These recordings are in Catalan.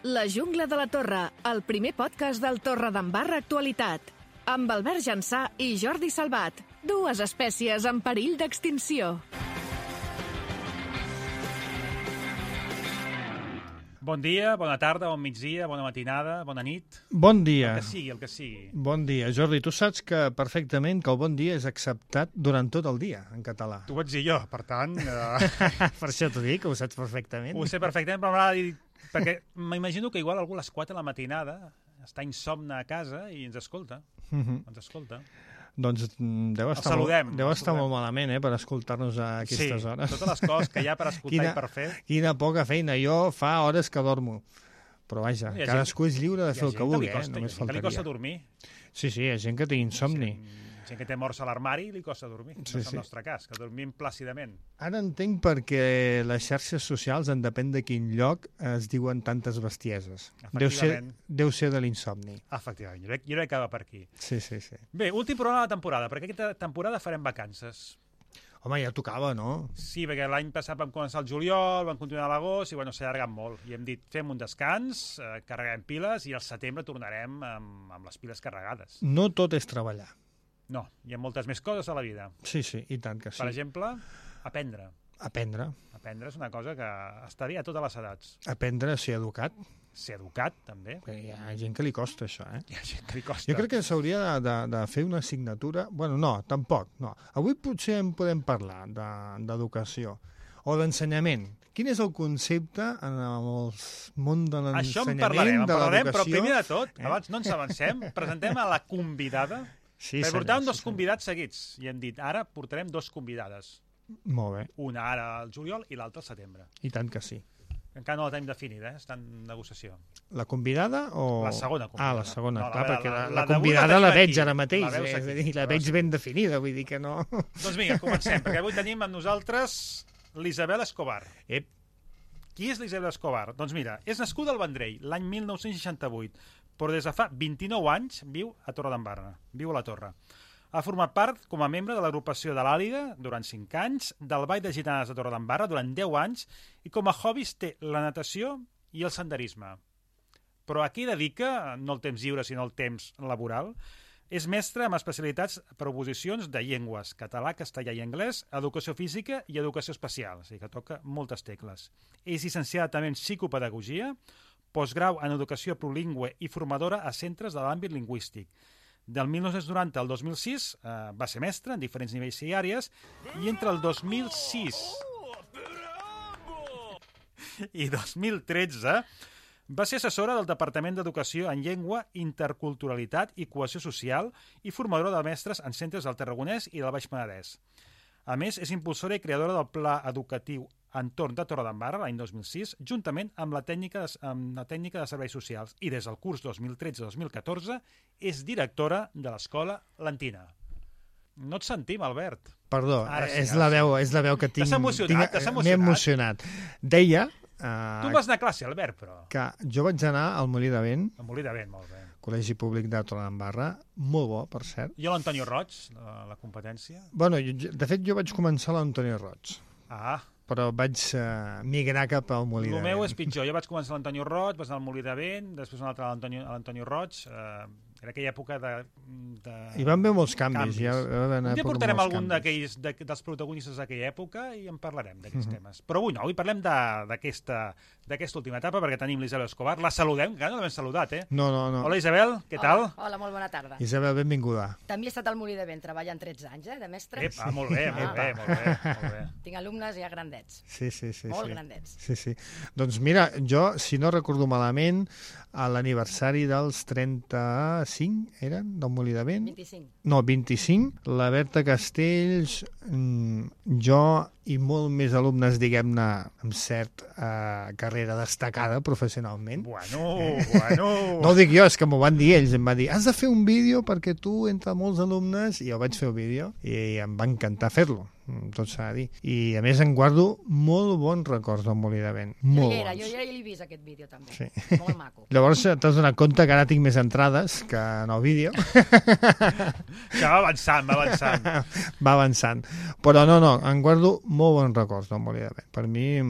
La jungla de la Torre, el primer podcast del Torredembarra Actualitat. Amb Albert Jansà i Jordi Salvat, dues espècies en perill d'extinció. Bon dia, bona tarda, bon migdia, bona matinada, bona nit. Bon dia. El que sigui. Bon dia. Jordi, tu saps que perfectament que el bon dia és acceptat durant tot el dia, en català. T'ho vaig dir jo, per tant... Per això t'ho dic, ho saps perfectament. Ho sé perfectament, però m'agrada dir... Perquè m'imagino que igual algú a les 4 de la matinada està insomne a casa i ens escolta. Ens escolta. Doncs deu estar molt malament, per escoltar-nos a aquestes hores. Sí, totes les coses que hi ha per escoltar i per fer. Quina poca feina. Jo fa hores que dormo. Però vaja, cadascú és lliure de fer el que vulgui. Només faltaria. Hi ha gent que li costa dormir. Sí, hi ha gent que té insomni. Gent que té morts a l'armari i li costa dormir. No és el nostre cas, que dormim plàcidament. Ara entenc perquè les xarxes socials, en depèn de quin lloc, es diuen tantes bestieses. Deu ser de l'insomni. Efectivament, jo crec que va per aquí. Sí. Bé, últim programa de la temporada, perquè aquesta temporada farem vacances. Home, ja tocava, no? Sí, perquè l'any passat vam començar el juliol, vam continuar a l'agost i s'ha allargat molt. I hem dit, fem un descans, carreguem piles i al setembre tornarem amb les piles carregades. No tot és treballar. No, hi ha moltes més coses a la vida. Sí, i tant que sí. Per exemple, aprendre. Aprendre és una cosa que està bé a totes les edats. Aprendre a ser educat. Ser educat, també. Hi ha gent que li costa, això, Hi ha gent que li costa. Jo crec que s'hauria de fer una assignatura... Bueno, no, tampoc, no. Avui potser en podem parlar d'educació o d'ensenyament. Quin és el concepte en el món de l'ensenyament, això en parlarem, però primer de tot, abans no ens avancem, presentem a la convidada. Sí, portàvem dos convidats seguits i hem dit, ara portarem dos convidades. Molt bé. Una ara al juliol i l'altra al setembre. I tant que sí. Encara no la tenim definida, està en negociació. La convidada o...? La segona convidada. La segona, clar, perquè la convidada la veig ara mateix, la veig ben definida, vull dir que no... Doncs vinga, comencem, perquè avui tenim amb nosaltres l'Isabel Escobar. Qui és l'Isabel Escobar? Doncs mira, és nascuda al Vendrell, l'any 1968, però des de fa 29 anys viu a Torredembarra, viu a la Torre. Ha format part com a membre de l'agrupació de l'Àliga durant 5 anys, del Ball de Gitanes de Torredembarra durant 10 anys i com a hobbies té la natació i el senderisme. Però a què dedica, no el temps lliure sinó el temps laboral, és mestre amb especialitats per oposicions de llengües, català, castellà i anglès, educació física i educació especial, o sigui que toca moltes tecles. És llicenciada també en psicopedagogia, postgrau en educació plurilingüe i formadora a centres de l'àmbit lingüístic. Del 1990 al 2006 va ser mestre en diferents nivells i àrees i entre el 2006 i 2013 va ser assessora del Departament d'Educació en Llengua, Interculturalitat i Cohesió Social i formadora de mestres en centres del Tarragonès i del Baix Penedès. A més, és impulsora i creadora del Pla Educatiu Entorn de Torredembarra l'any 2006, juntament amb la tècnica de serveis socials i des del curs 2013-2014 és directora de l'Escola Lentina. No et sentim, Albert. Perdó, és la veu que tinc. T'has emocionat? M'he emocionat. Deia... Tu vas anar a classe, Albert, però... Que jo vaig anar al Molí de Vent. Al Molí de Vent, molt bé. Col·legi Públic de Torredembarra, molt bo, per cert. I l'Antonio Roig, la competència? Bueno, de fet, jo vaig començar a l'Antonio Roig. Però vaig migrar cap al Molí de Vent. El meu és pitjor. Jo vaig començar a l'Antonio Roig, vas anar al Molí de Vent, després un altre a l'Antonio Roig. Era aquella època de... Hi van haver molts canvis. Un dia portarem algun dels protagonistes d'aquella època i en parlarem d'aquests temes. Però avui no, avui parlem d'aquesta última etapa perquè tenim l'Isabel Escobar. La saludem, que no l'hem saludat, No. Hola, Isabel, què tal? Hola, molt bona tarda. Isabel, benvinguda. També he estat al Molí de Vent, treballant 13 anys, de mestre. Molt bé. Tinc alumnes ja grandets. Sí. Molt grandets. Sí. Doncs mira, jo, si no recordo malament, a l'aniversari dels 35, eren, del Molí de Vent? 25. No, 25. La Berta Castells, jo i molt més alumnes, diguem-ne, amb cert carrera destacada professionalment. Bueno. No ho dic jo, és que m'ho van dir ells. Em va dir, has de fer un vídeo perquè tu, entre molts alumnes, i jo vaig fer el vídeo i em va encantar fer-lo. Tot s'ha de dir. I a més en guardo molt bons records del Molí de Vent. Jo ja l'he vist aquest vídeo també. Sí. Molt maco. Llavors t'has donat compte que ara tinc més entrades que en el vídeo. Que va avançant. Va avançant. Però no, en guardo molt bons records del Molí de Vent. Per mi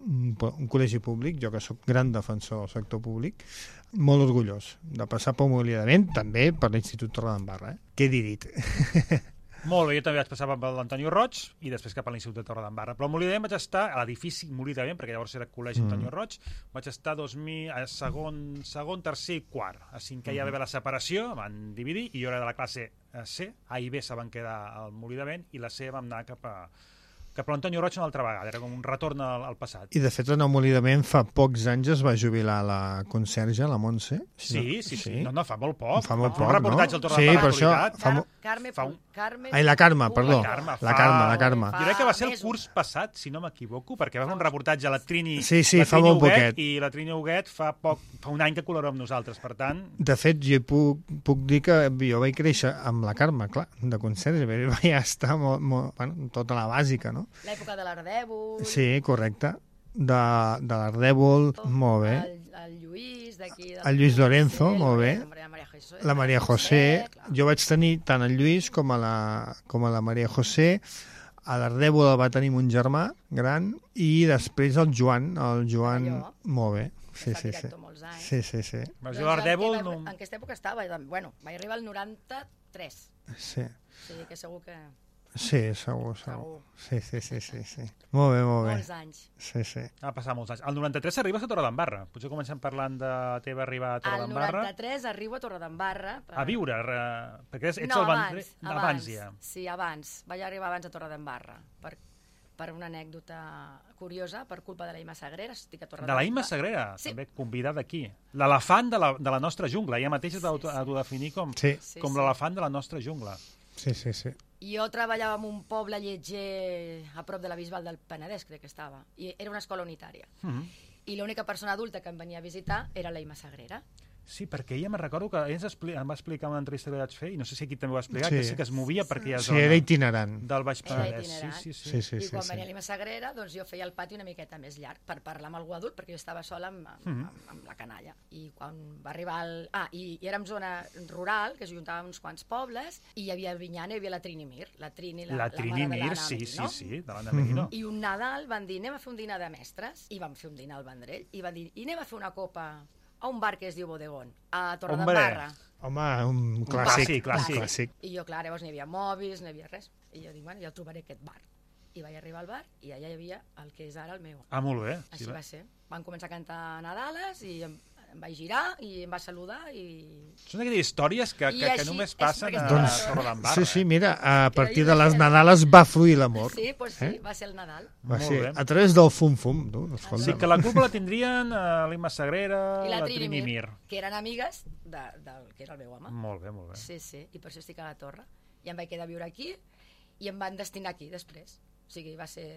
un col·legi públic, jo que sóc gran defensor del sector públic, molt orgullós de passar pel Molí de Vent, també per l'Institut Torredembarra. Què he dit? Molt bé, jo també vaig passar per l'Antonio Roig i després cap a l'Institut de Torredembarra. Però al Molí de Vent vaig estar, a l'edifici Molí de Vent, perquè llavors era col·legi Antonio Roig, vaig estar a segon, tercer i quart. A cinquè ja va haver la separació, van dividir, i jo era de la classe C, A i B se van quedar al Molí de Vent, i la C vam anar cap a l'Antonio Roig una altra vegada, era com un retorn al passat. I de fet en el Molí de Vent fa pocs anys es va jubilar la conserge, la Montse. Sí. No, fa molt poc. Fa molt poc, un reportatge al Torredembarra. Sí, per això... Ai, la Carme, perdó. La Carme. Jo crec que va ser el curs passat, si no m'equivoco, perquè va fer un reportatge a la Trini, sí, fa molt poquet. I la Trini Huguet fa un any que col·labora amb nosaltres, per tant... De fet, jo puc dir que jo vaig créixer amb la Carme, clar, de conserge, ja està tota la bàsica, no? L'època de l'Ardèvol... Sí, correcte. De l'Ardèvol, molt bé. El Lluís, d'aquí... El Lluís Lorenzo, molt bé. La Maria José. Clar. Jo vaig tenir tant el Lluís com a la Maria José. A l'Ardèvol el va tenir mon germà gran i després el Joan. Molt bé. Sí. Molts anys. Sí. Jo l'Ardèvol... En aquesta època estava, bueno, vaig arribar al 93. Sí. O sigui que segur que... Sí, segur. Sí. Molt bé. Molts anys. Sí. Va passar molts anys. Al 93 arribes a Torredembarra. Potser comencem parlant de la teva arribada a Torredembarra. Al 93 arribo a Torredembarra. A viure, perquè ets no, el Vendrell... abans ja. Sí, abans. Vaig arribar abans a Torredembarra. Per una anècdota curiosa, per culpa de la Imma Sagrera, estic a Torredembarra. De la Imma Sagrera, sí. També convidada aquí. L'elefant de la nostra jungla. Ella mateixa t'autodefinir com l'elefant de la nostra jungla. Sí. Jo treballava en un poble lleger a prop de la Bisbal del Penedès, crec que estava, i era una escola unitària. I l'única persona adulta que em venia a visitar era la Imma Sagrera. Sí, perquè ella, me'n recordo que em va explicar una entrevista que vaig fer, i no sé si aquí també ho va explicar, que sí que es movia per aquella zona. Sí, era itinerant. Del Baix Penedès. Sí. I quan venia l'Imma Sagrera, doncs jo feia el pati una miqueta més llarg per parlar amb algú adult, perquè jo estava sola amb la canalla. I quan va arribar i érem zona rural, que es juntaven uns quants pobles, i hi havia Vinyana, hi havia la Trini Mir. La Trini Mir, sí, de l'Anna Merino. I un Nadal van dir, anem a fer un dinar de mestres, i vam fer un dinar al Vendrell, i van dir, i anem a fer una copa a un bar que es diu Bodegón, a Torredembarra. Home, un clàssic. I jo, clar, llavors no hi havia mòbils, no hi havia res. I jo dic, bueno, ja trobaré aquest bar. I vaig arribar al bar i allà hi havia el que és ara el meu. Ah, molt bé. Així va ser. Van començar a cantar Nadales i em vaig girar i em va saludar i... Són aquelles històries que només passen a Torredembarra. Sí, mira, a partir de les Nadales va fluir l'amor. Sí, va ser el Nadal. Va ser a través del fum-fum. Sí, que la culpa la tindrien l'Imma Sagrera, i la Trini Mir. Que eren amigues del que era el meu home. Molt bé. Sí, i per això estic a la Torre. I em vaig quedar a viure aquí i em van destinar aquí després. O sigui, va ser...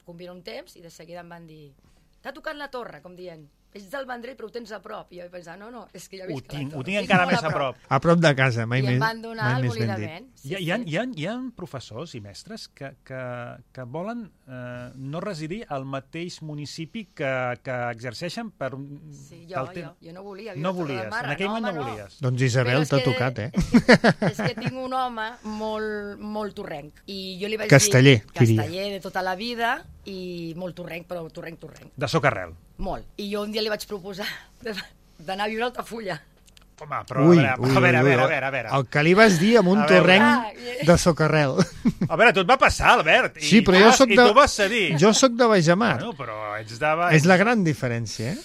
convina un temps i de seguida em van dir t'ha tocat la Torre, com dient ets del Vendrell però ho tens a prop. I jo vaig pensar, no, és que ja visc a la Torre. Ho tinc encara més a prop. A prop de casa, mai més ben dit. I em van donar el Molí de Vent. Hi ha professors i mestres que volen no residir al mateix municipi que exerceixen per... Sí, jo no volia. No volies, en aquell moment no volies. Doncs Isabel, t'ha tocat, És que tinc un home molt torrenc. I jo li vaig dir... Casteller de tota la vida i molt torrenc, però torrenc. De socarrel. Molt. I jo un dia li vaig proposar d'anar a viure a Altafulla. Home, però a veure. El que li vas dir amb un torrenc de socarrel. A veure, tot va passar, Albert. Sí, però jo soc de... I tu vas cedir. Jo soc de Bajamar. Bueno, però ets de... És la gran diferència,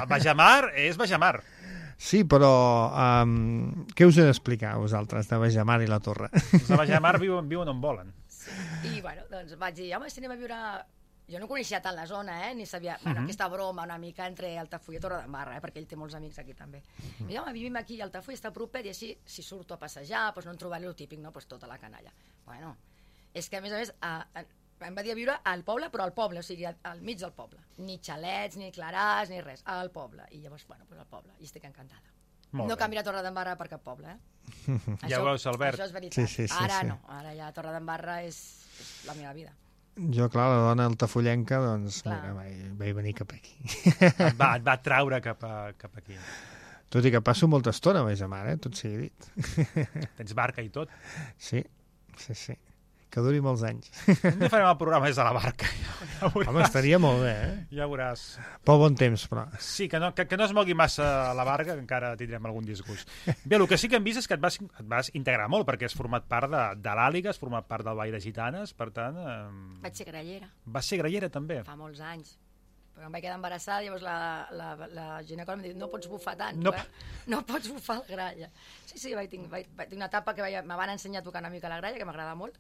Bajamar és Bajamar. Sí, però què us he d'explicar, vosaltres, de Bajamar i la Torre? Els de Bajamar viuen on volen. I, bueno, doncs vaig dir, home, si anem a viure... Jo no coneixia tant la zona, ni sabia... Bueno, aquesta broma una mica entre Altafulla i Torredembarra, perquè ell té molts amics aquí també. I dic, home, vivim aquí, Altafulla està propet, i així, si surto a passejar, doncs no em trobaré el típic, no? Doncs tota la canalla. Bueno, és que a més, em va dir a viure al poble, però al poble, o sigui, al mig del poble. Ni xalets, ni claràs, ni res, al poble. I llavors, bueno, doncs al poble, i estic encantada. No canviaré a Torredembarra per cap poble, Ja ho veus, Albert. Això és veritat. Sí. Ara no, ara ja Torredembarra és la meva vida. Jo, clar, la dona altafullenca, doncs, mira, vaig venir cap aquí. Et va traure cap aquí. Tot i que passo molta estona a Bajamar, tot sigui dit. Tens barca i tot. Sí. que duri molts anys. Un dia farem el programa des de la barca. Ja Home, estaria molt bé, Ja veuràs. Pel bon temps, però. Sí, que no es mogui massa la barca, que encara tindrem algun disgust. Bé, el que sí que hem vist és que et vas integrar molt, perquè has format part de l'Àliga, has format part del Ball de Gitanes, per tant... Vaig ser grallera. Vas ser grallera, també? Fa molts anys. Però em vaig quedar embarassada, llavors la ginecòloga em diu, no pots bufar tant, No. no pots bufar la gralla. Sí, vaig tenir una etapa que me van ensenyar a tocar una mica la gralla, que m'agrada molt,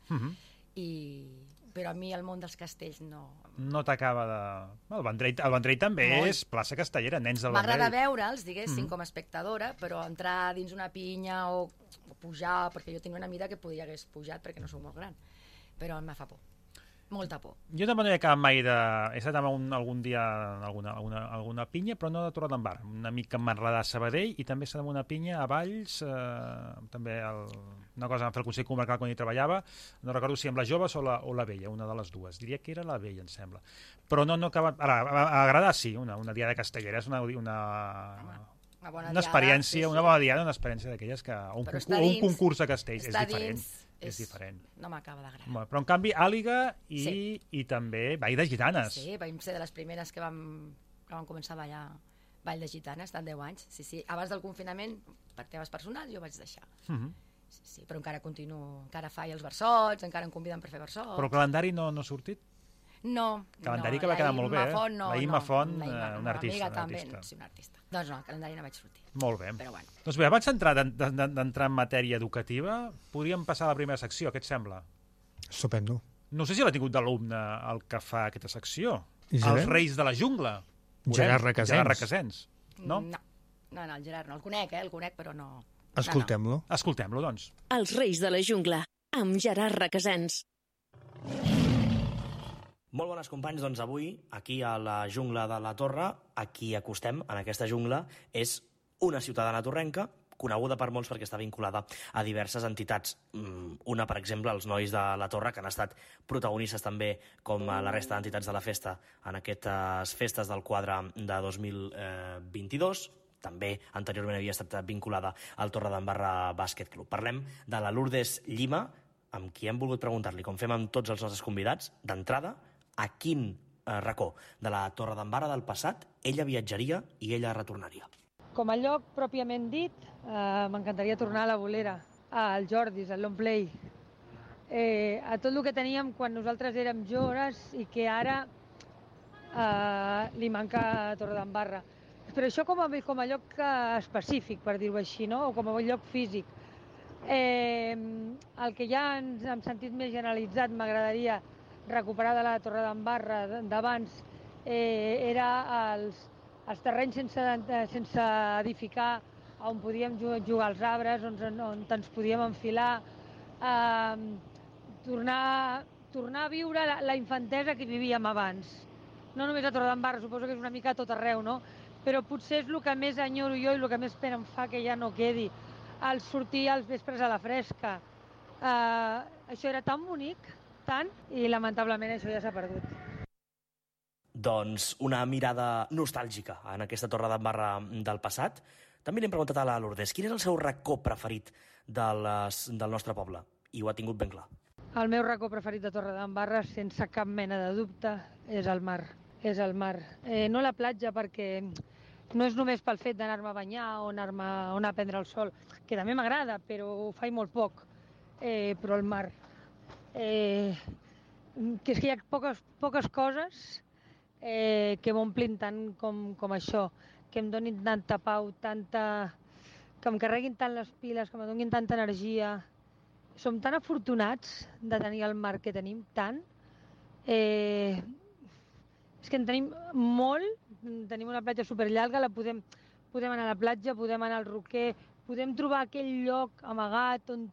però a mi el món dels castells no... No t'acaba de... El Vendrell també és plaça castellera, nens del Vendrell. M'agrada veure'ls, diguéssim, com a espectadora, però entrar dins una pinya o pujar, perquè jo tenia una mida que hagués pujat perquè no sóc molt gran, però em fa por. Molta por. Jo també no he acabat mai de... He estat algun dia en alguna pinya, però no de Torredembarra. Un amic que em va enredar a Sabadell i també he estat en una pinya a Valls, també una cosa vam fer el Consell Comarcal quan hi treballava, no recordo si amb la Joves o la Vella, una de les dues. Diria que era la Vella, em sembla. Però no he acabat... Ara, a agradar sí, una diada castellera és una experiència, una bona diada, una experiència d'aquelles que... Un concurs de castells és diferent. És diferent. No m'acaba d'agradar. Però en canvi Àliga i també Ball de Gitanes. Sí, vam ser de les primeres que vam començar a ballar Ball de Gitanes, tant 10 anys. Sí. Abans del confinament, per temes personals, jo vaig deixar. Sí, però encara continuo, encara faig els versots, encara em conviden per fer versots. Però el calendari no ha sortit? No. Calendari que va quedar molt bé, La Imma Font, un Una artista. amiga també, sí, un artista. Doncs no, el calendari no vaig sortir. Molt bé. Però bueno. Doncs bé, abans d'entrar en matèria educativa, podríem passar a la primera secció, què et sembla? Estupendo. No sé si l'ha tingut d'alumne el que fa aquesta secció. Isabel? Els Reis de la Jungla. Gerard Requesens. Gerard Requesens. No, el Gerard no. El conec, però no. Escoltem-lo. Escoltem-lo, doncs. Els Reis de la Jungla, amb Gerard Requesens. Molt bones companys, doncs avui, aquí a la jungla de la Torre, a qui acostem en aquesta jungla és una ciutadana torrenca, coneguda per molts perquè està vinculada a diverses entitats. Una, per exemple, els Nois de la Torre, que han estat protagonistes també, com la resta d'entitats de la festa, en aquestes festes del quadre de 2022. També anteriorment havia estat vinculada al Torredembarra Bàsquet Club. Parlem de la Lourdes Llima, amb qui hem volgut preguntar-li, com fem amb tots els nostres convidats, d'entrada, a quin racó de la Torredembarra del passat ella viatjaria i ella retornaria. Com a lloc pròpiament dit, m'encantaria tornar a la Bolera, al Jordis, al Long Play, a tot el que teníem quan nosaltres érem joves i que ara li manca a Torredembarra. Però això com a lloc específic, per dir-ho així, no? O com a lloc físic. El que ja en sentit més generalitzat m'agradaria recuperar de la Torredembarra d'abans era els terrenys sense edificar, on podíem jugar als arbres, on ens podíem enfilar, tornar a viure la infantesa que vivíem abans. No només a Torredembarra, suposo que és una mica a tot arreu, no? Però potser és el que més enyoro jo i el que més pena em fa que ja no quedi, el sortir als vespres a la fresca. Això era tan bonic, tant, i lamentablement això ja s'ha perdut. Doncs una mirada nostàlgica en aquesta Torredembarra del passat. També li hem preguntat a la Lourdes, quin és el seu racó preferit del nostre poble? I ho ha tingut ben clar. El meu racó preferit de Torredembarra, sense cap mena de dubte, és el mar. És el mar. No la platja, perquè no és només pel fet d'anar-me a banyar o anar a prendre el sol, que també m'agrada, però ho faig molt poc. Però el mar. Que és que hi ha poques coses que m'omplin tant com això, que em donin tanta pau, que em carreguin tant les piles, que em donin tanta energia. Som tan afortunats de tenir el mar que tenim, tant. És que en tenim molt, tenim una platja superllarga, podem anar a la platja, podem anar al roquer, podem trobar aquell lloc amagat on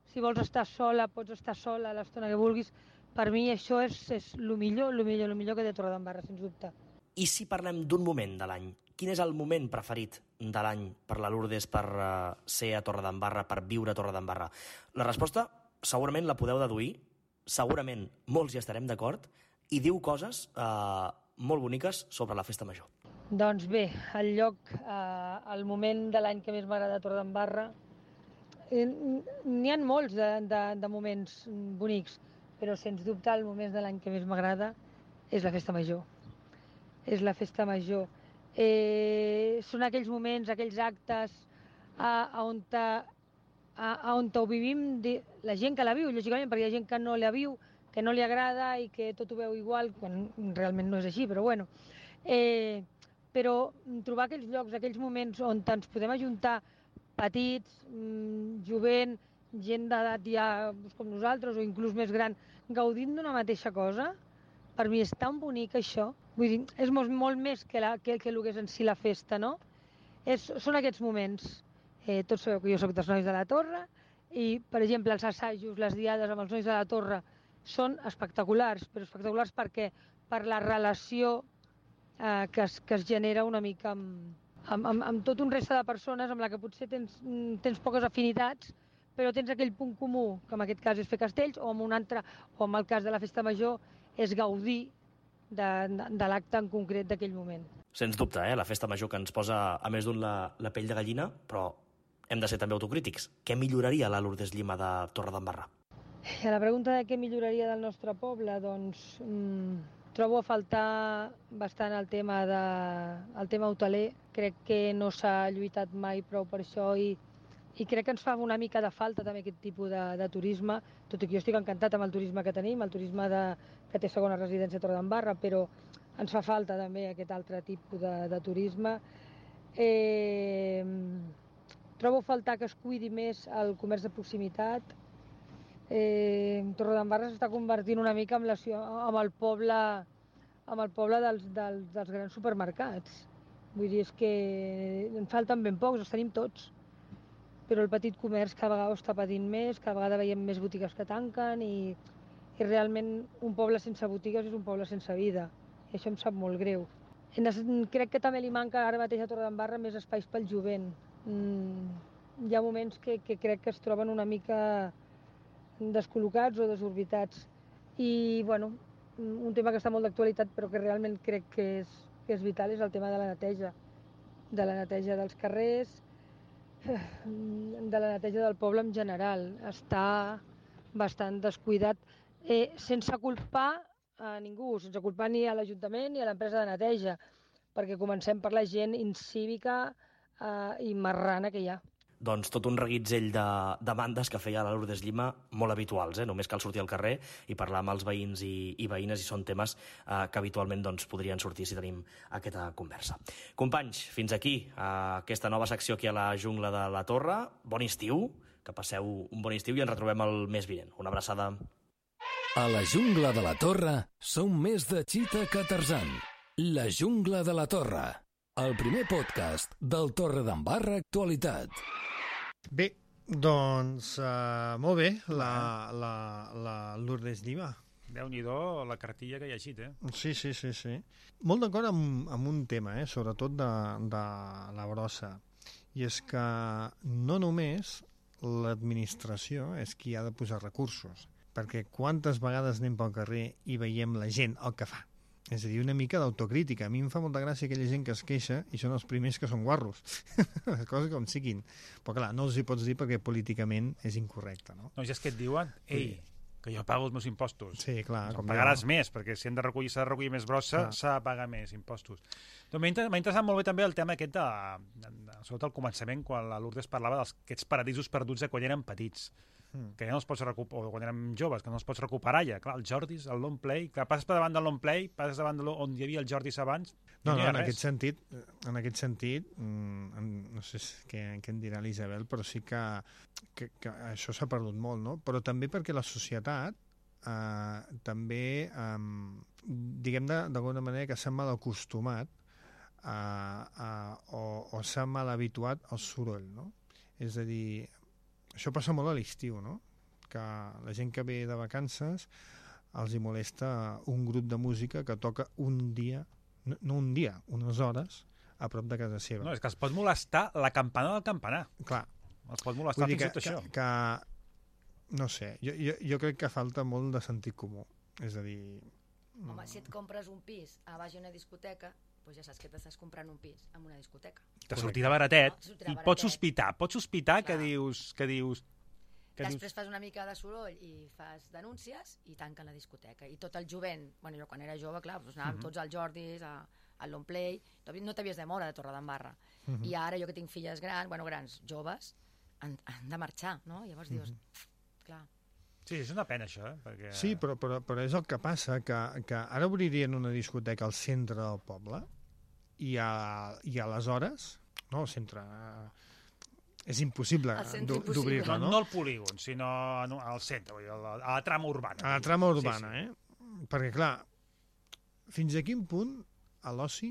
si vols estar sola, pots estar sola l'estona que vulguis. Per mi això és el millor que té Torredembarra, sens dubte. I si parlem d'un moment de l'any, quin és el moment preferit de l'any per la Lourdes per ser a Torredembarra, per viure a Torredembarra? La resposta segurament la podeu deduir, segurament molts hi estarem d'acord, i diu coses molt boniques sobre la festa major. Doncs bé, el moment de l'any que més m'agrada a Torredembarra N'hi ha molts de moments bonics, però sens dubte el moment de l'any que més m'agrada és la festa major. És la festa major. Són aquells moments, aquells actes on ho vivim, la gent que la viu, lògicament, perquè hi ha gent que no la viu, que no li agrada i que tot ho veu igual, quan realment no és així, però bueno. Però trobar aquells llocs, aquells moments on ens podem ajuntar petits, jovent, gent d'edat ja com nosaltres o inclús més gran, gaudint d'una mateixa cosa, per mi és tan bonic això. Vull dir, és molt més que el que és en si la festa, no? Són aquests moments. Tots sabeu que jo soc dels Nois de la Torre i, per exemple, els assajos, les diades amb els Nois de la Torre són espectaculars, però espectaculars perquè per la relació que es genera una mica amb tot un resta de persones amb la que potser tens poques afinitats, però tens aquell punt comú, que en aquest cas és fer castells, o amb un altre, o en el cas de la festa major, és gaudir de l'acte en concret d'aquell moment. Sens dubte, la festa major que ens posa a més d'un la pell de gallina, però hem de ser també autocrítics. Què milloraria la Lourdes Llima de Torredembarra? I a la pregunta de què milloraria del nostre poble, doncs trobo a faltar bastant el tema hoteler. Crec que no s'ha lluitat mai prou per això i crec que ens fa una mica de falta també aquest tipus de turisme, tot i que jo estic encantat amb el turisme que tenim, el turisme que té segona residència a Torredembarra, però ens fa falta també aquest altre tipus de turisme. Trobo a faltar que es cuidi més el comerç de proximitat. Torredembarra s'està convertint una mica amb el poble dels grans supermercats. Vull dir, és que en falten ben pocs, els tenim tots. Però el petit comerç cada vegada està patint més, cada vegada veiem més botigues que tanquen i realment un poble sense botigues és un poble sense vida. I això em sap molt greu. Crec que també li manca ara mateix a Torredembarra més espais pel jovent. Hi ha moments que crec que es troben una mica descol·locats o desorbitats. I, bueno, un tema que està molt d'actualitat però que realment crec que és vital és el tema de la neteja dels carrers, de la neteja del poble en general. Està bastant descuidat, sense culpar a ningú, sense culpar ni a l'Ajuntament ni a l'empresa de neteja, perquè comencem per la gent incívica i marrana que hi ha. Doncs tot un reguitzell de demandes que feia la Lourdes Llima molt habituals, només cal sortir al carrer i parlar amb els veïns i veïnes i són temes que habitualment podrien sortir si tenim aquesta conversa. Companys, fins aquí aquesta nova secció aquí a la Jungla de la Torre. Bon estiu, que passeu un bon estiu i ens retrobem el mes vinent. Una abraçada. A la Jungla de la Torre som més de Chita que Tarzan. La Jungla de la Torre, el primer podcast del Torredembarra Actualitat. Bé, doncs molt bé, la Lourdes Llima. Déu-n'hi-do la cartilla que hi ha llegit, Sí. Molt d'acord amb un tema, sobretot de la brossa. I és que no només l'administració és qui ha de posar recursos, perquè quantes vegades anem pel carrer i veiem la gent el que fa. És a dir, una mica d'autocrítica. A mi em fa molta gràcia aquella gent que es queixa i són els primers que són guarros. Les coses com siguin. Però clar, no els hi pots dir perquè políticament és incorrecte, no? No, ja és que et diuen, ei, que jo pago els meus impostos. Sí, clar. Com pagaràs més, perquè si s'ha de recollir més brossa, s'ha de pagar més impostos. M'ha interessat molt bé també el tema aquest sobretot al començament, quan la Lourdes parlava d'aquests paradisos perduts de quan eren petits, que ja no els pots recuperar, o quan érem joves, que no els pots recuperar ja. Clar, el Jordis, el Long Play, clar, passes per davant del Long Play, passes davant on hi havia el Jordis abans, no, en aquest sentit, no sé què en dirà l'Isabel, però sí que això s'ha perdut molt, no? Però també perquè la societat també, diguem d'alguna manera que s'ha mal acostumat o s'ha mal habituat al soroll, no? És a dir, això passa molt a l'estiu, no? Que la gent que ve de vacances els hi molesta un grup de música que toca un dia, no un dia, unes hores, a prop de casa seva. No, és que els pot molestar la campana del campanar. Clar. Els pot molestar fins i tot això. No sé, jo crec que falta molt de sentit comú. És a dir... Home, si et compres un pis a baix d'una discoteca, doncs ja saps que t'estàs comprant un pis en una discoteca. Te sortirà baratet, No? Te sortirà i baratet. pots sospitar que Clar. dius... Després fas una mica de soroll i fas denúncies i tanquen la discoteca. I tot el jovent, bueno, jo quan era jove, clar, doncs anàvem tots als Jordis, al Long Play, no t'havies de moure de Torredembarra. I ara jo que tinc filles grans, joves, han de marxar, no? Llavors dius, clar... Sí, és una pena això, perquè... Sí, però és el que passa, que ara obririen una discoteca al centre del poble i aleshores, no al centre... És impossible d'obrir-la, no? No al polígon, sinó al centre, vull dir, a la trama urbana. A la trama urbana, Perquè, clar, fins a quin punt l'oci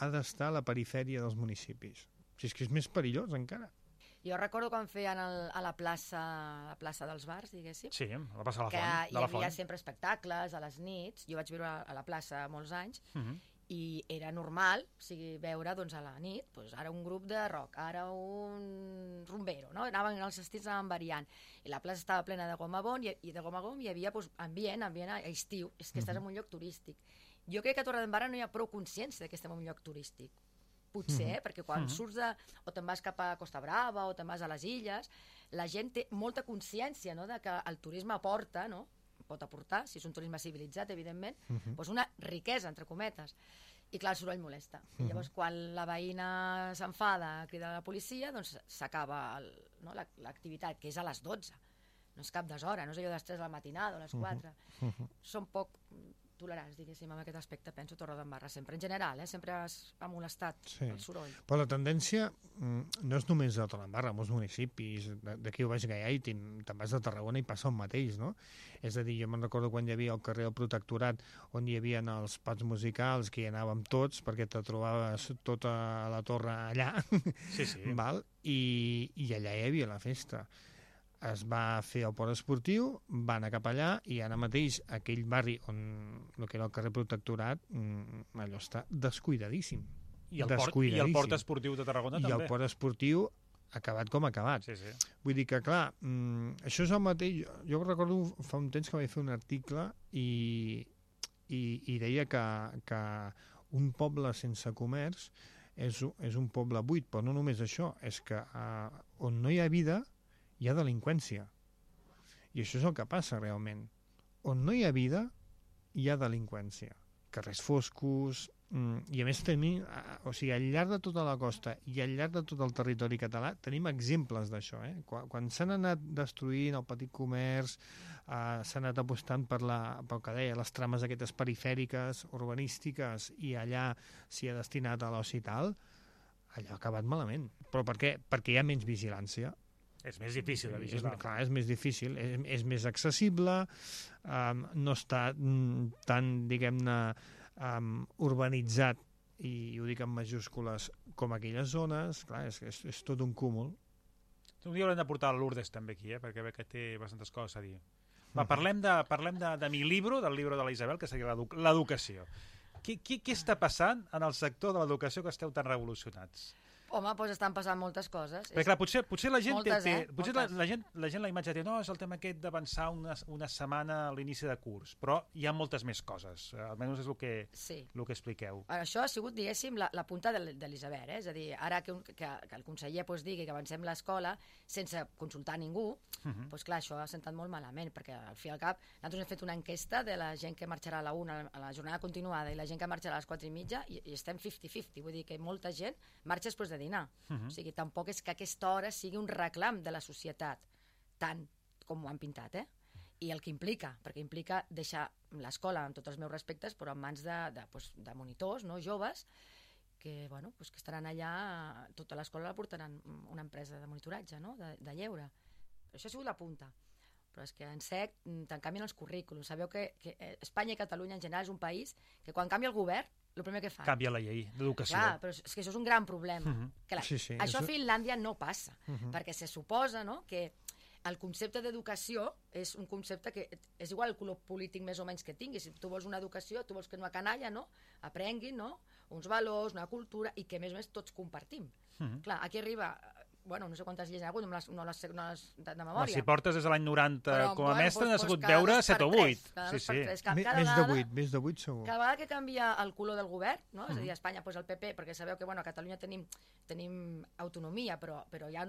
ha d'estar a la perifèria dels municipis? Si és que és més perillós, encara. Jo recordo quan feien a la plaça dels bars, diguéssim, Sí, la plaça de la que Font. hi havia sempre espectacles a les nits. Jo vaig viure a la plaça molts anys i era normal veure a la nit ara un grup de rock, ara un rumbero, no? Els estils anaven variant i la plaça estava plena de gom a gom i de gom a gom hi havia ambient a estiu, és que estàs en un lloc turístic. Jo crec que a Torredembarra no hi ha prou consciència que estem en un lloc turístic, potser, perquè quan surts o te'n vas cap a Costa Brava o te'n vas a les illes, la gent té molta consciència, no?, de que el turisme aporta, no?, pot aportar, si és un turisme civilitzat, evidentment, doncs una riquesa, entre cometes. I clar, el soroll molesta. I llavors, quan la veïna s'enfada, crida a la policia, doncs s'acaba l'activitat, que és a les 12. No és cap deshora, no és allò de les 3 de la matinada o a les 4. Són poc tolerants, diguéssim, en aquest aspecte, penso, Torredembarra, sempre. En general, sempre ha molestat el soroll. Però la tendència no és només a Torredembarra, a molts municipis, d'aquí ho vaig Gaià i te'n vas de Tarragona i passa el mateix, no? És a dir, jo me'n recordo quan hi havia el carrer del Protectorat, on hi havia els pubs musicals, que hi anàvem tots, perquè te trobaves tota la torre allà, val? I allà hi havia la festa. Es va fer el port esportiu, va anar cap allà i ara mateix aquell barri on el que era el carrer Protectorat, allò està descuidadíssim. I el port esportiu de Tarragona també. I el port esportiu acabat com acabat. Vull dir que, clar, això és el mateix. Jo recordo fa un temps que vaig fer un article i deia que un poble sense comerç és un poble buit, però no només això, és que on no hi ha vida hi ha delinqüència. I això és el que passa realment. On no hi ha vida, hi ha delinqüència. Carrers foscos, i a més tenim, al llarg de tota la costa i al llarg de tot el territori català tenim exemples d'això. Quan s'han anat destruint el petit comerç, s'ha anat apostant pel que deia, les trames aquestes perifèriques, urbanístiques, i allà s'hi ha destinat a l'oci i tal, allò ha acabat malament. Però per què? Perquè hi ha menys vigilància. És més difícil de vigilar. Clar, és més difícil, és més accessible, no està tan, diguem-ne, urbanitzat, i ho dic en majúscules, com aquelles zones. Clar, és tot un cúmul. Un dia haurem de portar Lourdes també aquí, perquè veig que té bastantes coses a dir. Va, parlem de mi libro, del llibre de la Isabel, que seria l'educació. Què està passant en el sector de l'educació que esteu tan revolucionats? Home, doncs estan passant moltes coses. Perquè clar, potser la gent Moltes, la gent la imatge té, no, és el tema aquest d'avançar una setmana a l'inici de curs, però hi ha moltes més coses, almenys és el que expliqueu. Això ha sigut, diguéssim, la punta de l'iceberg, és a dir, ara que el conseller digui que avancem l'escola sense consultar ningú, doncs clar, això ha sentat molt malament, perquè al fi i al cap nosaltres hem fet una enquesta de la gent que marxarà a la 1 a la jornada continuada i la gent que marxarà a les 4:30 i estem 50-50, vull dir que molta gent marxa després de dinar. O sigui, tampoc és que aquesta hora sigui un reclam de la societat, tant com ho han pintat, i el que implica, perquè implica deixar l'escola, amb tots els meus respectes, però en mans de monitors, no, joves, que estaran allà, tota l'escola la portaran una empresa de monitoratge, no?, de lleure. Això ha sigut la punta. Però és que en sec te'n canvien els currículums. Sabeu que Espanya i Catalunya en general és un país que quan canvia el govern, el primer que fa... Canvia la llei d'educació. Clar, però és que això és un gran problema. Això a Finlàndia no passa, perquè se suposa, no?, que el concepte d'educació és un concepte que és igual el color polític més o menys que tinguis. Si tu vols una educació, tu vols que una canalla, no?, aprenguin, no?, uns valors, una cultura, i que a més tots compartim. Clar, aquí arriba bueno, no sé quantes lleis hi ha hagut, no les de memòria. Si portes des de l'any 90 Però, com a mestre, n'has hagut cada veure 2 per 7 o 3, 8. cada Sí, 2 per sí. 3. Cada Més de 8 segur. Cada vegada que canvia el color del govern, no? És a dir, a Espanya el PP, perquè sabeu que a Catalunya tenim autonomia, però hi ha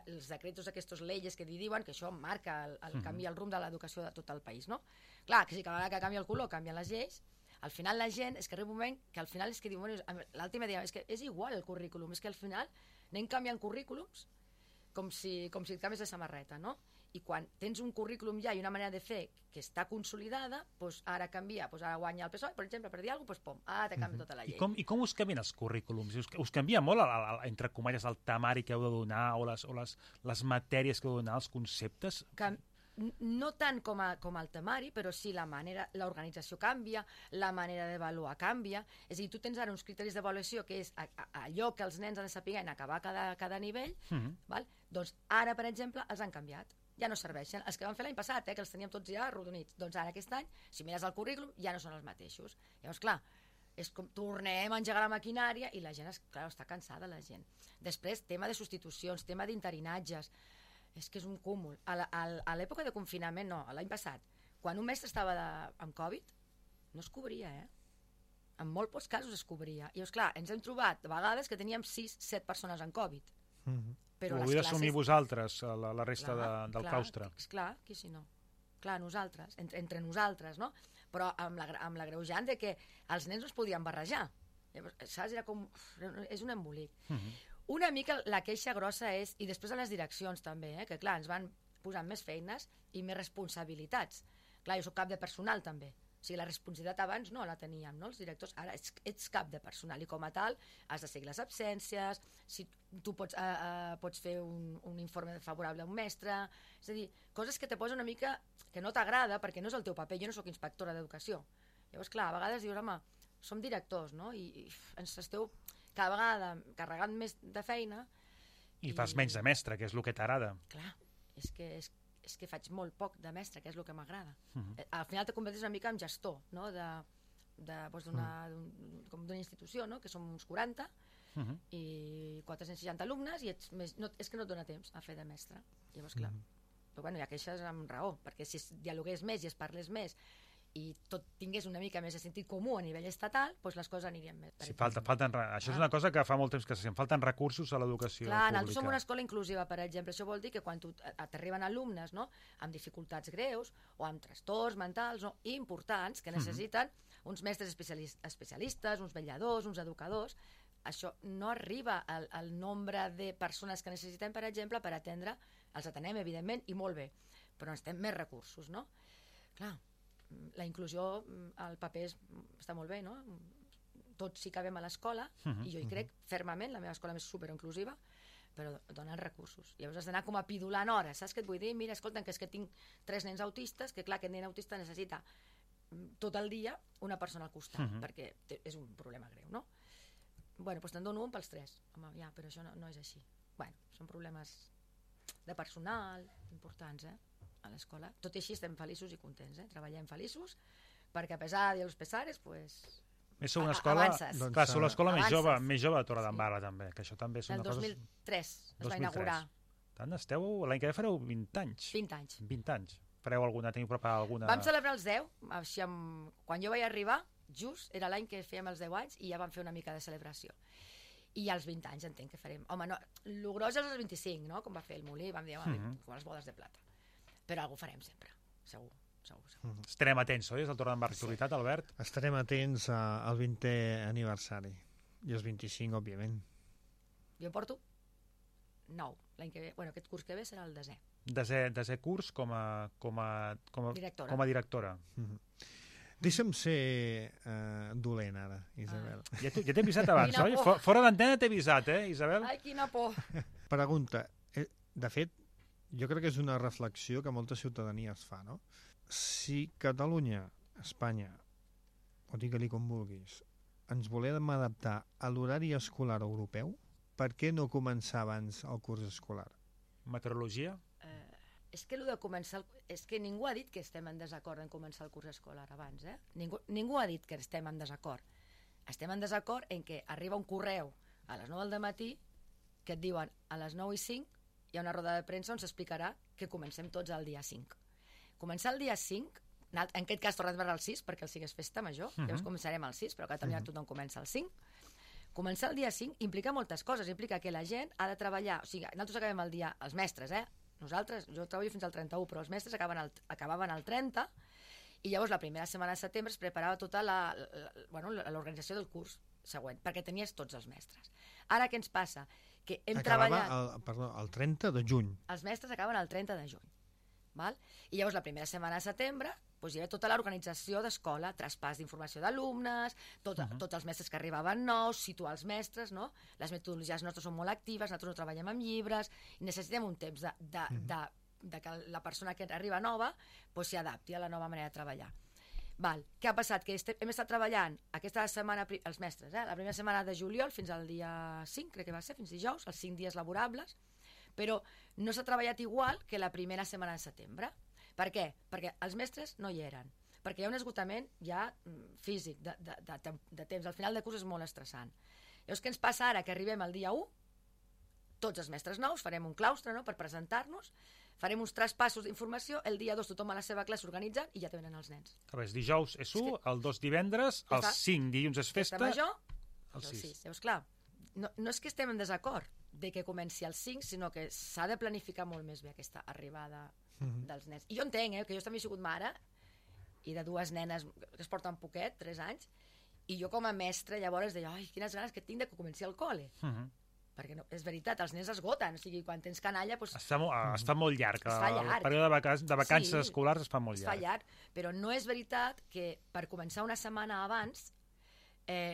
els decretos aquests leyes que diuen que això marca el canvi, el rumb de l'educació de tot el país, no? Clar, que si cada vegada que canvia el color canvien les lleis, al final la gent, és que arriba un moment que al final és que diu, bueno, l'altra idea és que és igual el currículum, és que al final anem canviant currículums com si et canvies de samarreta, no? I quan tens un currículum ja i una manera de fer que està consolidada, doncs ara canvia, doncs ara guanya el PSOE, per exemple, per dir alguna cosa, doncs pom, ara te canvia tota la llei. I com us canvien els currículums? Us canvia molt, entre cometes, el temari que heu de donar o les matèries que heu de donar, els conceptes? No tant com el temari, però sí l'organització canvia, la manera d'avaluar canvia. És a dir, tu tens ara uns criteris d'avaluació que és allò que els nens han de saber en acabar cada nivell, doncs ara, per exemple, els han canviat. Ja no serveixen. Els que van fer l'any passat, que els teníem tots ja arrodonits, doncs ara aquest any, si mires el currículum, ja no són els mateixos. Llavors, clar, és com tornem a engegar la maquinària i la gent, clar, està cansada, la gent. Després, tema de substitucions, tema d'interinatges. És que és un cúmul. A l'època de confinament, no, l'any passat, quan un mestre estava amb Covid, no es cobria, En molt pocs casos es cobria. I, esclar, ens hem trobat a vegades que teníem 6-7 persones amb Covid. Però ho heu d'assumir vosaltres, la resta del claustre. Clar, qui si no? Clar, nosaltres, entre nosaltres, no? Però amb l'agreujant de que els nens no es podien barrejar. Saps? Era com... És un embolic. Una mica la queixa grossa és, i després a les direccions també, que clar, ens van posant més feines i més responsabilitats. Clar, jo soc cap de personal també. O sigui, la responsabilitat abans no la teníem, no? Els directors, ara ets cap de personal i com a tal has de seguir les absències, si tu pots fer un informe favorable a un mestre, és a dir, coses que te posen una mica que no t'agrada perquè no és el teu paper, jo no sóc inspectora d'educació. Llavors, clar, a vegades dius, home, som directors, no? I ens esteu cada vegada carregant més de feina. I fas menys de mestre, que és el que t'agrada. Clar, és que faig molt poc de mestre, que és el que m'agrada. Al final te converteixes una mica en gestor, no? D'una institució, no? Que som uns 40 i 460 alumnes i és que no et dona temps a fer de mestre. Llavors, clar, però bueno, hi ha queixes amb raó, perquè si es dialogués més i es parlés més i tot tingués una mica més de sentit comú a nivell estatal, doncs les coses anirien més. Sí, això és una cosa que fa molt temps que falten recursos a l'educació pública. Nosaltres som una escola inclusiva, per exemple. Això vol dir que quan t'arriben alumnes, no?, amb dificultats greus o amb trastorns mentals importants que necessiten uns mestres especialistes, uns vetlladors, uns educadors, això no arriba al nombre de persones que necessitem, per exemple, per atendre. Els atenem, evidentment, i molt bé, però necessitem més recursos, no? Clar, la inclusió, el paper està molt bé, no? Tots sí que cabem a l'escola i jo hi crec fermament, la meva escola és superinclusiva, però donen recursos. Llavors has d'anar com a pidulant hores, saps què et vull dir? Mira, escolta, que és que tinc 3 nens autistes, que clar, aquest nen autista necessita tot el dia una persona al costat, perquè és un problema greu, no? Bueno, doncs te'n dono un pels 3. Home, ja, però això no és així. Bueno, són problemes de personal importants, a l'escola. Tot i així estem feliços i contents, treballem feliços, perquè a pesar de los pesares, pues... Sou una escola, clar, sou l'escola més jove de Torredembarra, també, que això també és una cosa... El 2003 es va inaugurar. Tant esteu, l'any que ve fareu 20 anys. 20 anys. 20 anys. Teniu preparat alguna... Vam celebrar els 10, així quan jo vaig arribar, just era l'any que fèiem els 10 anys i ja vam fer una mica de celebració. I als 20 anys entenc que farem. Home, no, el gros és als 25, no?, com va fer el Molí, vam dir, com les bodes de plata. Però algú farem sempre, segur. Estarem atents, oi? És el Torredembarra Actualitat, Albert? Estarem atents al 20è aniversari. I els 25, òbviament. Jo en porto 9. L'any que ve, aquest curs que ve serà el 10è. 10è curs com a directora. Deixa'm ser dolent ara, Isabel. Ja t'he avisat abans, oi? Fora d'antena t'he avisat, Isabel? Ai, quina por! Pregunta. De fet, jo crec que és una reflexió que molta ciutadania es fa, no? Si Catalunya, Espanya, o digue-li com vulguis, ens volem adaptar a l'horari escolar europeu, per què no començar abans el curs escolar? Meteorologia? És que allò de començar... És que ningú ha dit que estem en desacord en començar el curs escolar abans, Ningú ha dit que estem en desacord. Estem en desacord en què arriba un correu a les 9 del matí que et diuen a les 9:05 hi ha una roda de premsa on s'explicarà que comencem tots el dia 5. Començar el dia 5, en aquest cas Torre d'Embarra el 6, perquè el 5 és festa major, llavors començarem el 6, però a Catalunya tothom comença el 5. Començar el dia 5 implica moltes coses, implica que la gent ha de treballar, o sigui, nosaltres acabem el dia, els mestres, nosaltres, jo treballo fins al 31, però els mestres acabaven el 30, i llavors la primera setmana de setembre es preparava tota l'organització del curs següent, perquè tenies tots els mestres. Ara què ens passa? Que hem treballat... el 30 de juny. Els mestres acaben el 30 de juny. Val? I llavors la primera setmana de setembre hi havia tota l'organització d'escola, traspàs d'informació d'alumnes, tots els mestres que arribaven nous, situar els mestres, no? Les metodologies nostres són molt actives, nosaltres no treballem amb llibres, i necessitem un temps de que la persona que arriba nova s'hi adapti a la nova manera de treballar. Què ha passat? Que hem estat treballant aquesta setmana, els mestres, la primera setmana de juliol fins al dia 5, crec que va ser, fins dijous, els 5 dies laborables, però no s'ha treballat igual que la primera setmana de setembre. Per què? Perquè els mestres no hi eren, perquè hi ha un esgotament ja físic, de temps. Al final de curs és molt estressant. Llavors, què ens passa ara? Que arribem al dia 1, tots els mestres nous, farem un claustre per presentar-nos, farem uns traspassos d'informació, el dia 2 tothom a la seva classe organitzant i ja te venen els nens. Dijous és 1, el 2 divendres, el 5 dilluns és festa, major, el 6. Llavors, clar, no és que estem en desacord de que comenci el 5, sinó que s'ha de planificar molt més bé aquesta arribada dels nens. I jo entenc, que jo també he sigut mare i de 2 nenes que es porten poquet, 3 anys, i jo com a mestra llavors deia, ai, quines ganes que tinc de que comenci el col·le. Perquè és veritat, els nens esgoten, o sigui, quan tens canalla... Es fa molt llarg, el període de vacances escolars es fa molt llarg. Es fa llarg, però no és veritat que per començar una setmana abans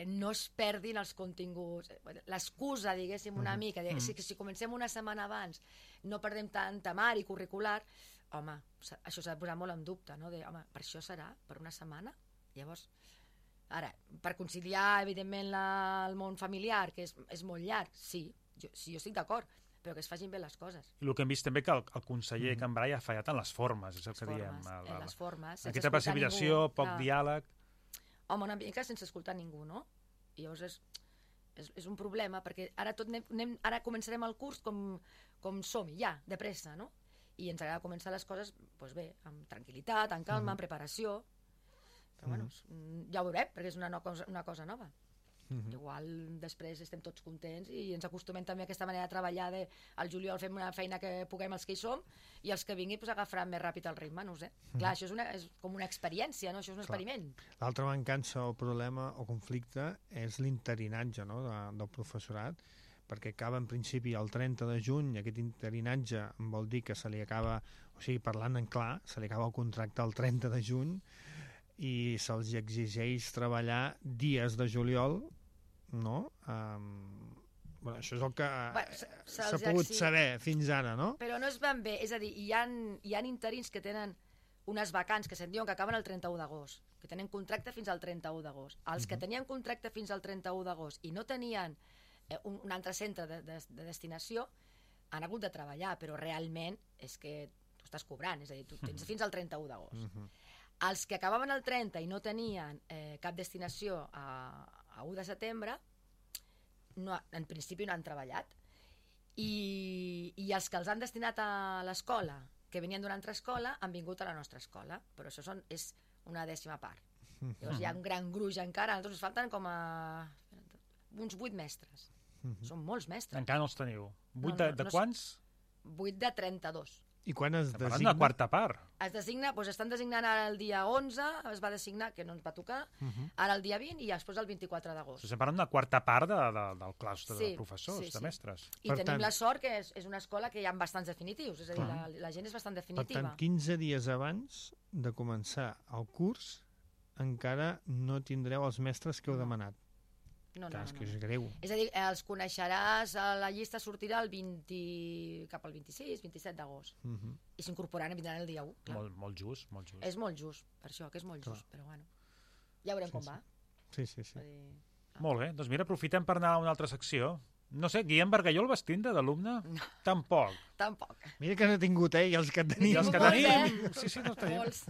no es perdin els continguts. L'excusa, diguéssim, una mica, si comencem una setmana abans no perdem tant temari curricular, home, això s'ha de posar molt en dubte, no? Home, per això serà? Per una setmana? Llavors, ara, per conciliar, evidentment, el món familiar, que és molt llarg, sí, jo estic d'acord, però que es facin bé les coses. I el que hem vist també que el conseller Cambray ha fallat en les formes, és el que diem. En les formes, aquesta precipitació, poc diàleg... Home, una mica sense escoltar ningú, no? I llavors és un problema, perquè ara ara començarem el curs com som-hi, ja, de pressa, no? I ens agrada començar les coses, doncs bé, amb tranquil·litat, amb calma, amb preparació, però bueno, ja ho veurem, perquè és una cosa nova. Igual després estem tots contents i ens acostumem també a aquesta manera de treballar al juliol fem una feina que puguem els que hi som i els que vinguin agafaran més ràpid el ritme, no ho sé. Clar, això és com una experiència, no? Això és un experiment. L'altra mancança o problema o conflicte és l'interinatge del professorat, perquè acaba en principi el 30 de juny, aquest interinatge vol dir que se li acaba, o sigui, parlant en clar, se li acaba el contracte el 30 de juny i se'ls exigeix treballar dies de juliol, no? Això és el que s'ha pogut saber fins ara, no? Però no és ben bé, és a dir, hi ha interins que tenen unes vacants que se'n diuen que acaben el 31 d'agost, que tenen contracte fins al 31 d'agost. Els que tenien contracte fins al 31 d'agost i no tenien un altre centre de destinació han hagut de treballar, però realment és que tu estàs cobrant, és a dir, tu tens fins al 31 d'agost. Els que acabaven el 30 i no tenien cap destinació a 1 de setembre, en principi no han treballat. I els que els han destinat a l'escola, que venien d'una altra escola, han vingut a la nostra escola, però això és una 10ª part. Llavors hi ha un gran gruix encara, a nosaltres ens falten com a uns 8 mestres. Són molts mestres. Encara no els teniu. 8 de quants? 8 de 32. I quan es designa? Parlant de quarta part. Es designa, doncs estan designant ara el dia 11, es va designar, que no ens va tocar, ara el dia 20 i després el 24 d'agost. Estem parlant de quarta part del claustre de professors, de mestres. I tenim la sort que és una escola que hi ha bastants definitius, és a dir, la gent és bastant definitiva. Per tant, 15 dies abans de començar el curs encara no tindreu els mestres que heu demanat. No. És que és greu. És a dir, els coneixeràs, la llista sortirà cap al 26, 27 d'agost. I s'incorporaran i vindran el dia 1. Molt just, molt just. És molt just, per això, que és molt just, però bueno. Ja veurem com va. Sí. Molt bé, doncs mira, aprofitem per anar a una altra secció. No sé, Guillem Bargalló el vas tindre d'alumne? No. Tampoc. Mira que no he tingut, i els que tenim. I els que tenim. Sí, no tenim. Molts.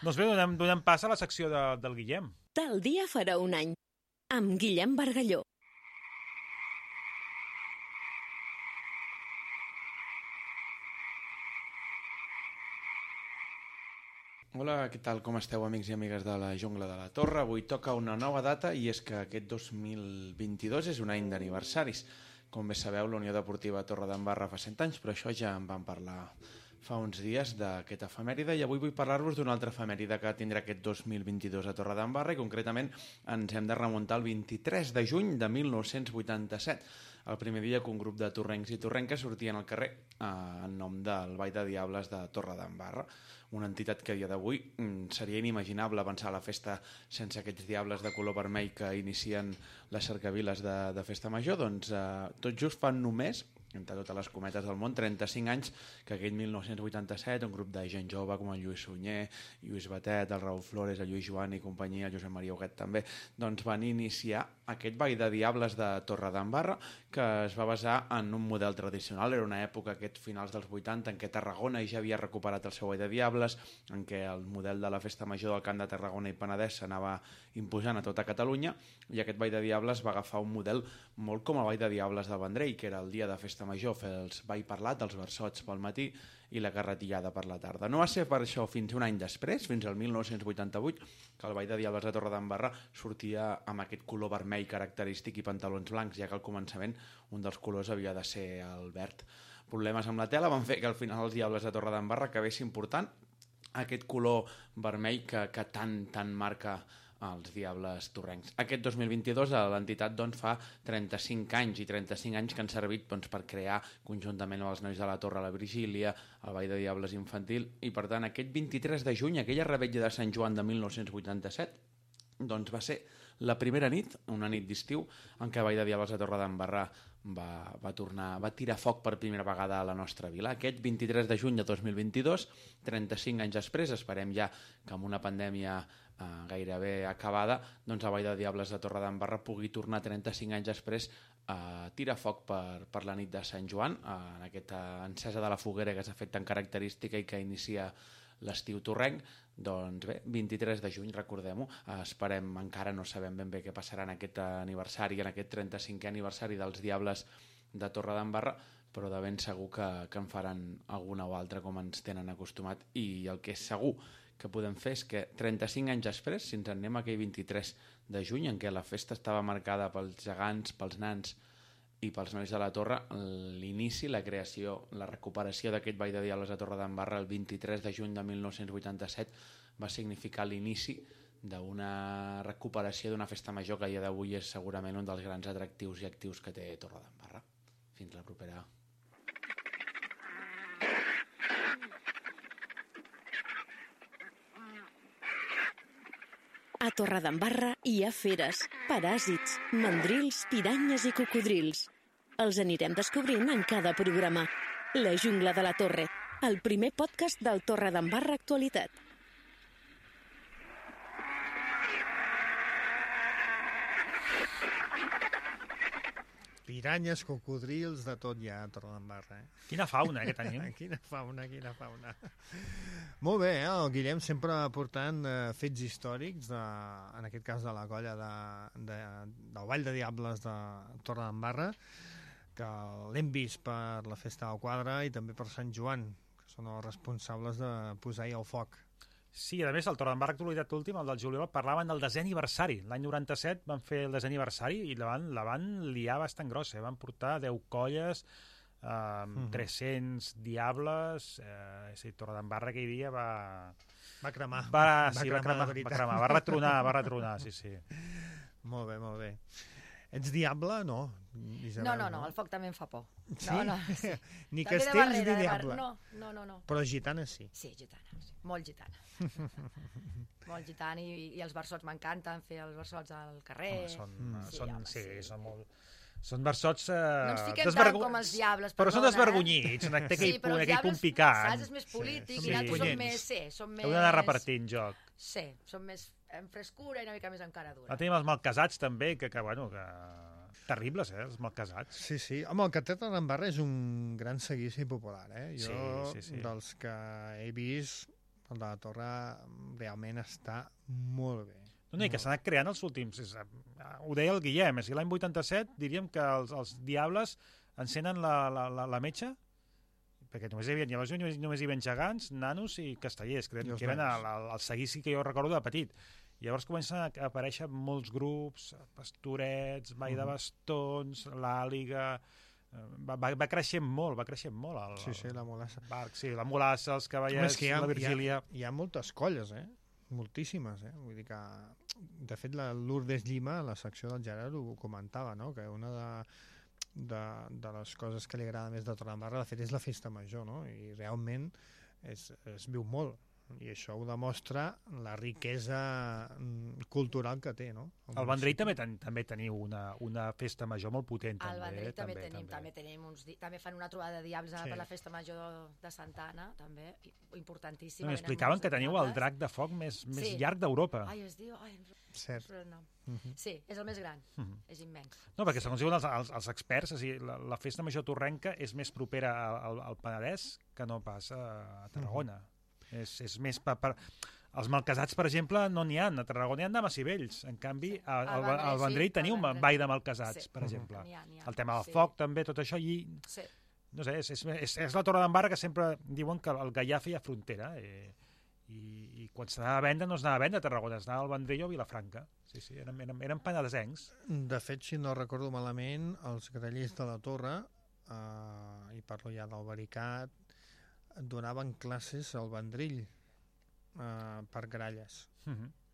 Doncs bé, donem pas a la secció del Guillem. Tal dia farà un any. Amb Guillem Bargalló. Hola, què tal? Com esteu, amics i amigues de la Jungla de la Torre? Avui toca una nova data i és que aquest 2022 és un any d'aniversaris. Com bé sabeu, la Unió Deportiva Torredembarra fa 100 anys, però això ja en vam parlar fa uns dies d'aquesta efemèride i avui vull parlar-vos d'una altra efemèride que tindrà aquest 2022 a Torredembarra i concretament ens hem de remuntar al 23 de juny de 1987, el primer dia que un grup de torrencs i torrenques sortien al carrer en nom del Ball de Diables de Torredembarra, una entitat que a dia d'avui seria inimaginable pensar la festa sense aquests diables de color vermell que inicien les cercaviles de Festa Major. Doncs tot just fan només, entre totes les cometes del món, 35 anys que aquell 1987 un grup de gent jove com el Lluís Sunyer, Lluís Batet, el Raúl Flores, el Lluís Joan i companyia, el Josep Maria Huguet també, doncs van iniciar aquest Ball de Diables de Torredembarra que es va basar en un model tradicional. Era una època, aquests finals dels 80, en què Tarragona ja havia recuperat el seu Ball de Diables, en què el model de la Festa Major del Camp de Tarragona i Penedès s'anava imposant a tota Catalunya, i aquest Ball de Diables va agafar un model molt com el Ball de Diables del Vendrell, que era el dia de Festa Major, fer els ball parlat, els versots pel matí i la carretillada per la tarda. No va ser per això fins un any després, fins al 1988, que el Ball de Diables de Torredembarra sortia amb aquest color vermell característic i pantalons blancs, ja que al començament un dels colors havia de ser el verd. Problemes amb la tela van fer que al final els Diables de Torredembarra acabessin portant aquest color vermell que tant marca els Diables torrencs. Aquest 2022 l'entitat fa 35 anys i 35 anys que han servit per crear conjuntament amb els nois de la Torre la Virgília, el Ball de Diables infantil, i per tant aquest 23 de juny, aquella revetlla de Sant Joan de 1987, va ser la primera nit, una nit d'estiu, en què el Ball de Diables de Torredembarra va tirar foc per primera vegada a la nostra vila. Aquest 23 de juny de 2022, 35 anys després, esperem ja que amb una pandèmia gairebé acabada, el Ball de Diables de Torredembarra pugui tornar 35 anys després a tirar foc per la nit de Sant Joan, en aquesta encesa de la foguera que s'ha fet tan característica i que inicia l'estiu torrenc. Doncs bé, 23 de juny, recordem-ho, esperem, encara no sabem ben bé què passarà en aquest aniversari, en aquest 35è aniversari dels Diables de Torredembarra, però de ben segur que en faran alguna o altra com ens tenen acostumat, i el que és segur que podem fer és que 35 anys després, si ens en anem a aquell 23 de juny, en què la festa estava marcada pels gegants, pels nans i pels nois de la Torre, l'inici, la creació, la recuperació d'aquest Ball de Diables de Torredembarra el 23 de juny de 1987 va significar l'inici d'una recuperació d'una festa major que a dia d'avui és segurament un dels grans atractius i actius que té Torredembarra. Fins la propera. A Torredembarra hi ha feres, paràsits, mandrils, piranyes i cocodrils. Els anirem descobrint en cada programa. La Jungla de la Torre, el primer podcast del Torredembarra Actualitat. Piranyes, cocodrils, de tot ja a Torredembarra. Quina fauna, que tenim. Quina fauna. Molt bé, el Guillem sempre aportant fets històrics, en aquest cas de la colla del Ball de Diables de Torredembarra, que l'hem vist per la Festa del Quadre i també per Sant Joan, que són els responsables de posar-hi el foc. Sí, a més, el Torredembarra Actualitat últim, el del juliol, parlaven del desè aniversari. L'any 97 van fer el desè aniversari i la van liar bastant grossa. Van portar 10 colles, 300 diables. Torredembarra aquell dia va cremar. Va retronar, sí. Molt bé. Ets diable? No. Isabel, no, el foc també em fa por. Sí? Sí. Ni castells ni diable. No. Però gitana sí. Sí, gitana, sí. Molt gitana. Molt gitana, i els versots m'encanten, fer els versots al carrer. Són versots... No ens fiquem tant com els diables, però són desvergonyits, té aquell punt picant. Saps, és més polític, i nosaltres som més... Heu d'anar repartint joc. Sí, som més en frescura i una mica més en cara dura. Tenim els malcasats també, que terribles, els malcasats. Sí. Home, el que té Torredembarra és un gran seguici popular, Jo, dels que he vist, el de la Torre realment està molt bé. No, i que s'ha anat creant els últims... Ho deia el Guillem, l'any 87 diríem que els diables encenen la metxa perquè només hi havia gegants, nanos i castellers, que eren el seguici que jo recordo de petit. Llavors comencen a aparèixer molts grups, Pastorets, Vall de Bastons, l'Àliga... Va creixent molt la Molassa. La Molassa, els Cavallets, la Virgília... Hi ha moltes colles, moltíssimes, vull dir que... De fet, la Lourdes Llima, a la secció del Gerard, ho comentava, no? Que una de les coses que li agrada més de Torredembarra, de fet, és la festa major, no? I realment es viu molt. I això ho demostra la riquesa cultural que té, no? Al Vendrell també teniu una festa major molt potent. Al Vendrell també fan una trobada de diables per la festa major de Santa Anna, també, importantíssima. M'explicaven que teniu el drac de foc més llarg d'Europa. Ai, es diu... Cert. Sí, és el més gran, és immens. No, perquè segons diuen els experts, la festa major torrenca és més propera al Penedès que no pas a Tarragona. És més els malcasats, per exemple, no n'hi ha. A Tarragona hi ha dames i vells. En canvi, al Vendrell teniu un ball de malcasats, per exemple. El tema del foc, també, tot això. No sé, és la Torredembarra que sempre diuen que el Gaià feia frontera. I quan s'anava a vendre, no s'anava a vendre a Tarragona, s'anava al Vendrell o a Vilafranca. Sí, eren penedesencs. De fet, si no recordo malament, els grallers de la Torre, i parlo ja del Baricat, donaven classes al Vendrell per gralles.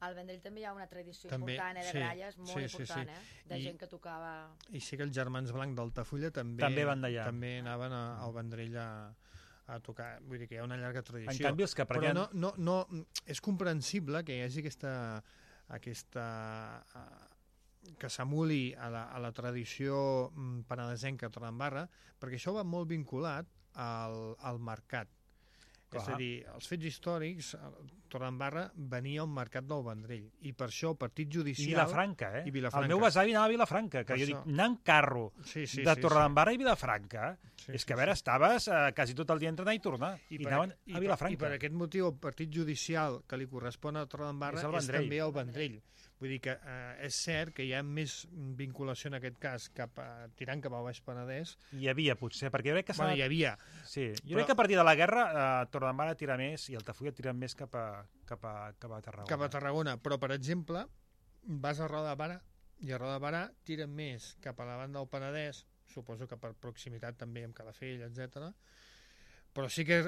Al Vendrell també hi ha una tradició important de gralles, molt important, de gent que tocava... I sí que els germans Blanc d'Altafulla també anaven al Vendrell a tocar, vull dir que hi ha una llarga tradició. En canvi, els que però no, és comprensible que hi hagi aquesta que s'emuli a la tradició penedesenca a Torredembarra, perquè això va molt vinculat al mercat. Clar. És a dir, els fets històrics, Torredembarra venia al mercat del Vendrell, i per això el partit judicial... I Vilafranca, El meu besavi anava a Vilafranca, que jo dic, anar en carro de Torredembarra i Vilafranca, és que a veure, estaves quasi tot el dia entre anar i tornar, i anaven a Vilafranca. I per aquest motiu, el partit judicial que li correspon a Torredembarra és també el Vendrell. Vull dir que és cert que hi ha més vinculació en aquest cas tirant cap al Baix Penedès. Hi havia, potser, perquè jo crec que... Hi havia. Sí, jo crec que a partir de la guerra Torredembarra tira més i Altafulla tira més cap a Tarragona. Cap a Tarragona, però per exemple vas a Roda de Barà i a Roda de Barà tiren més cap a la banda del Penedès, suposo que per proximitat també amb Calafell, etc. Però sí que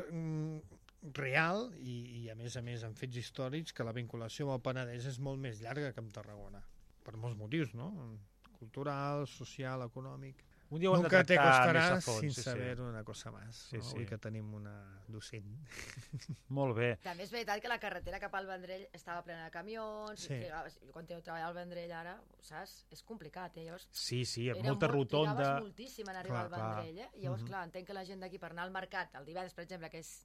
real i a més en fets històrics que la vinculació amb el Penedès és molt més llarga que amb Tarragona, per molts motius, no? Cultural, social, econòmic. Un dia ho hem de tractar més a fons. Sin saber una cosa més. Avui que tenim una docent. Molt bé. També és veritat que la carretera cap al Vendrell estava plena de camions. Quan treballar al Vendrell ara, saps? És complicat, Llavors, sí, molta rotonda. Trigaves moltíssim en arribar al Vendrell, Llavors, clar, entenc que la gent d'aquí per anar al mercat, el divendres, per exemple, que és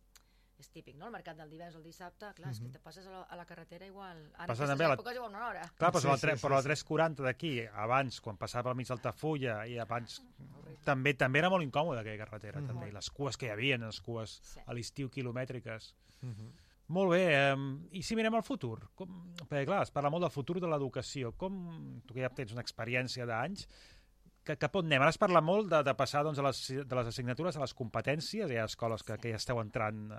típic, no? El mercat del divendres o el dissabte, clar, és que te passes a la carretera igual... En aquestes èpoques igual una hora. Clar, però la 340 d'aquí, abans, quan passava pel mig d'Altafulla, i abans també era molt incòmoda aquella carretera, també, i les cues que hi havia, les cues a l'estiu quilomètriques. Molt bé, i si mirem al futur? Perquè, clar, es parla molt del futur de l'educació. Tu que ja tens una experiència d'anys, cap on anem? Ara es parla molt de passar de les assignatures a les competències, hi ha escoles que ja esteu entrant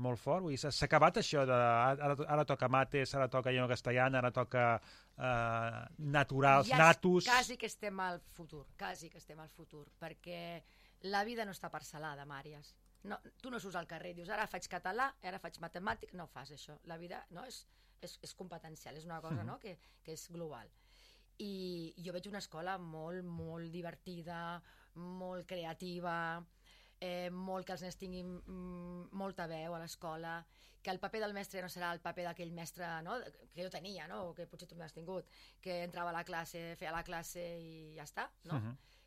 molt fort. S'ha acabat això de ara toca mates, ara toca llengua castellana, ara toca naturals, natus... Quasi que estem al futur, perquè la vida no està parcel·lada, Màries. Tu no surts al carrer i dius ara faig català, ara faig matemàtic, no fas això. La vida és competencial, és una cosa que és global. I jo veig una escola molt, molt divertida, molt creativa, molt que els nens tinguin molta veu a l'escola, que el paper del mestre no serà el paper d'aquell mestre que jo tenia, o que potser tu m'has tingut, que entrava a la classe, feia la classe i ja està,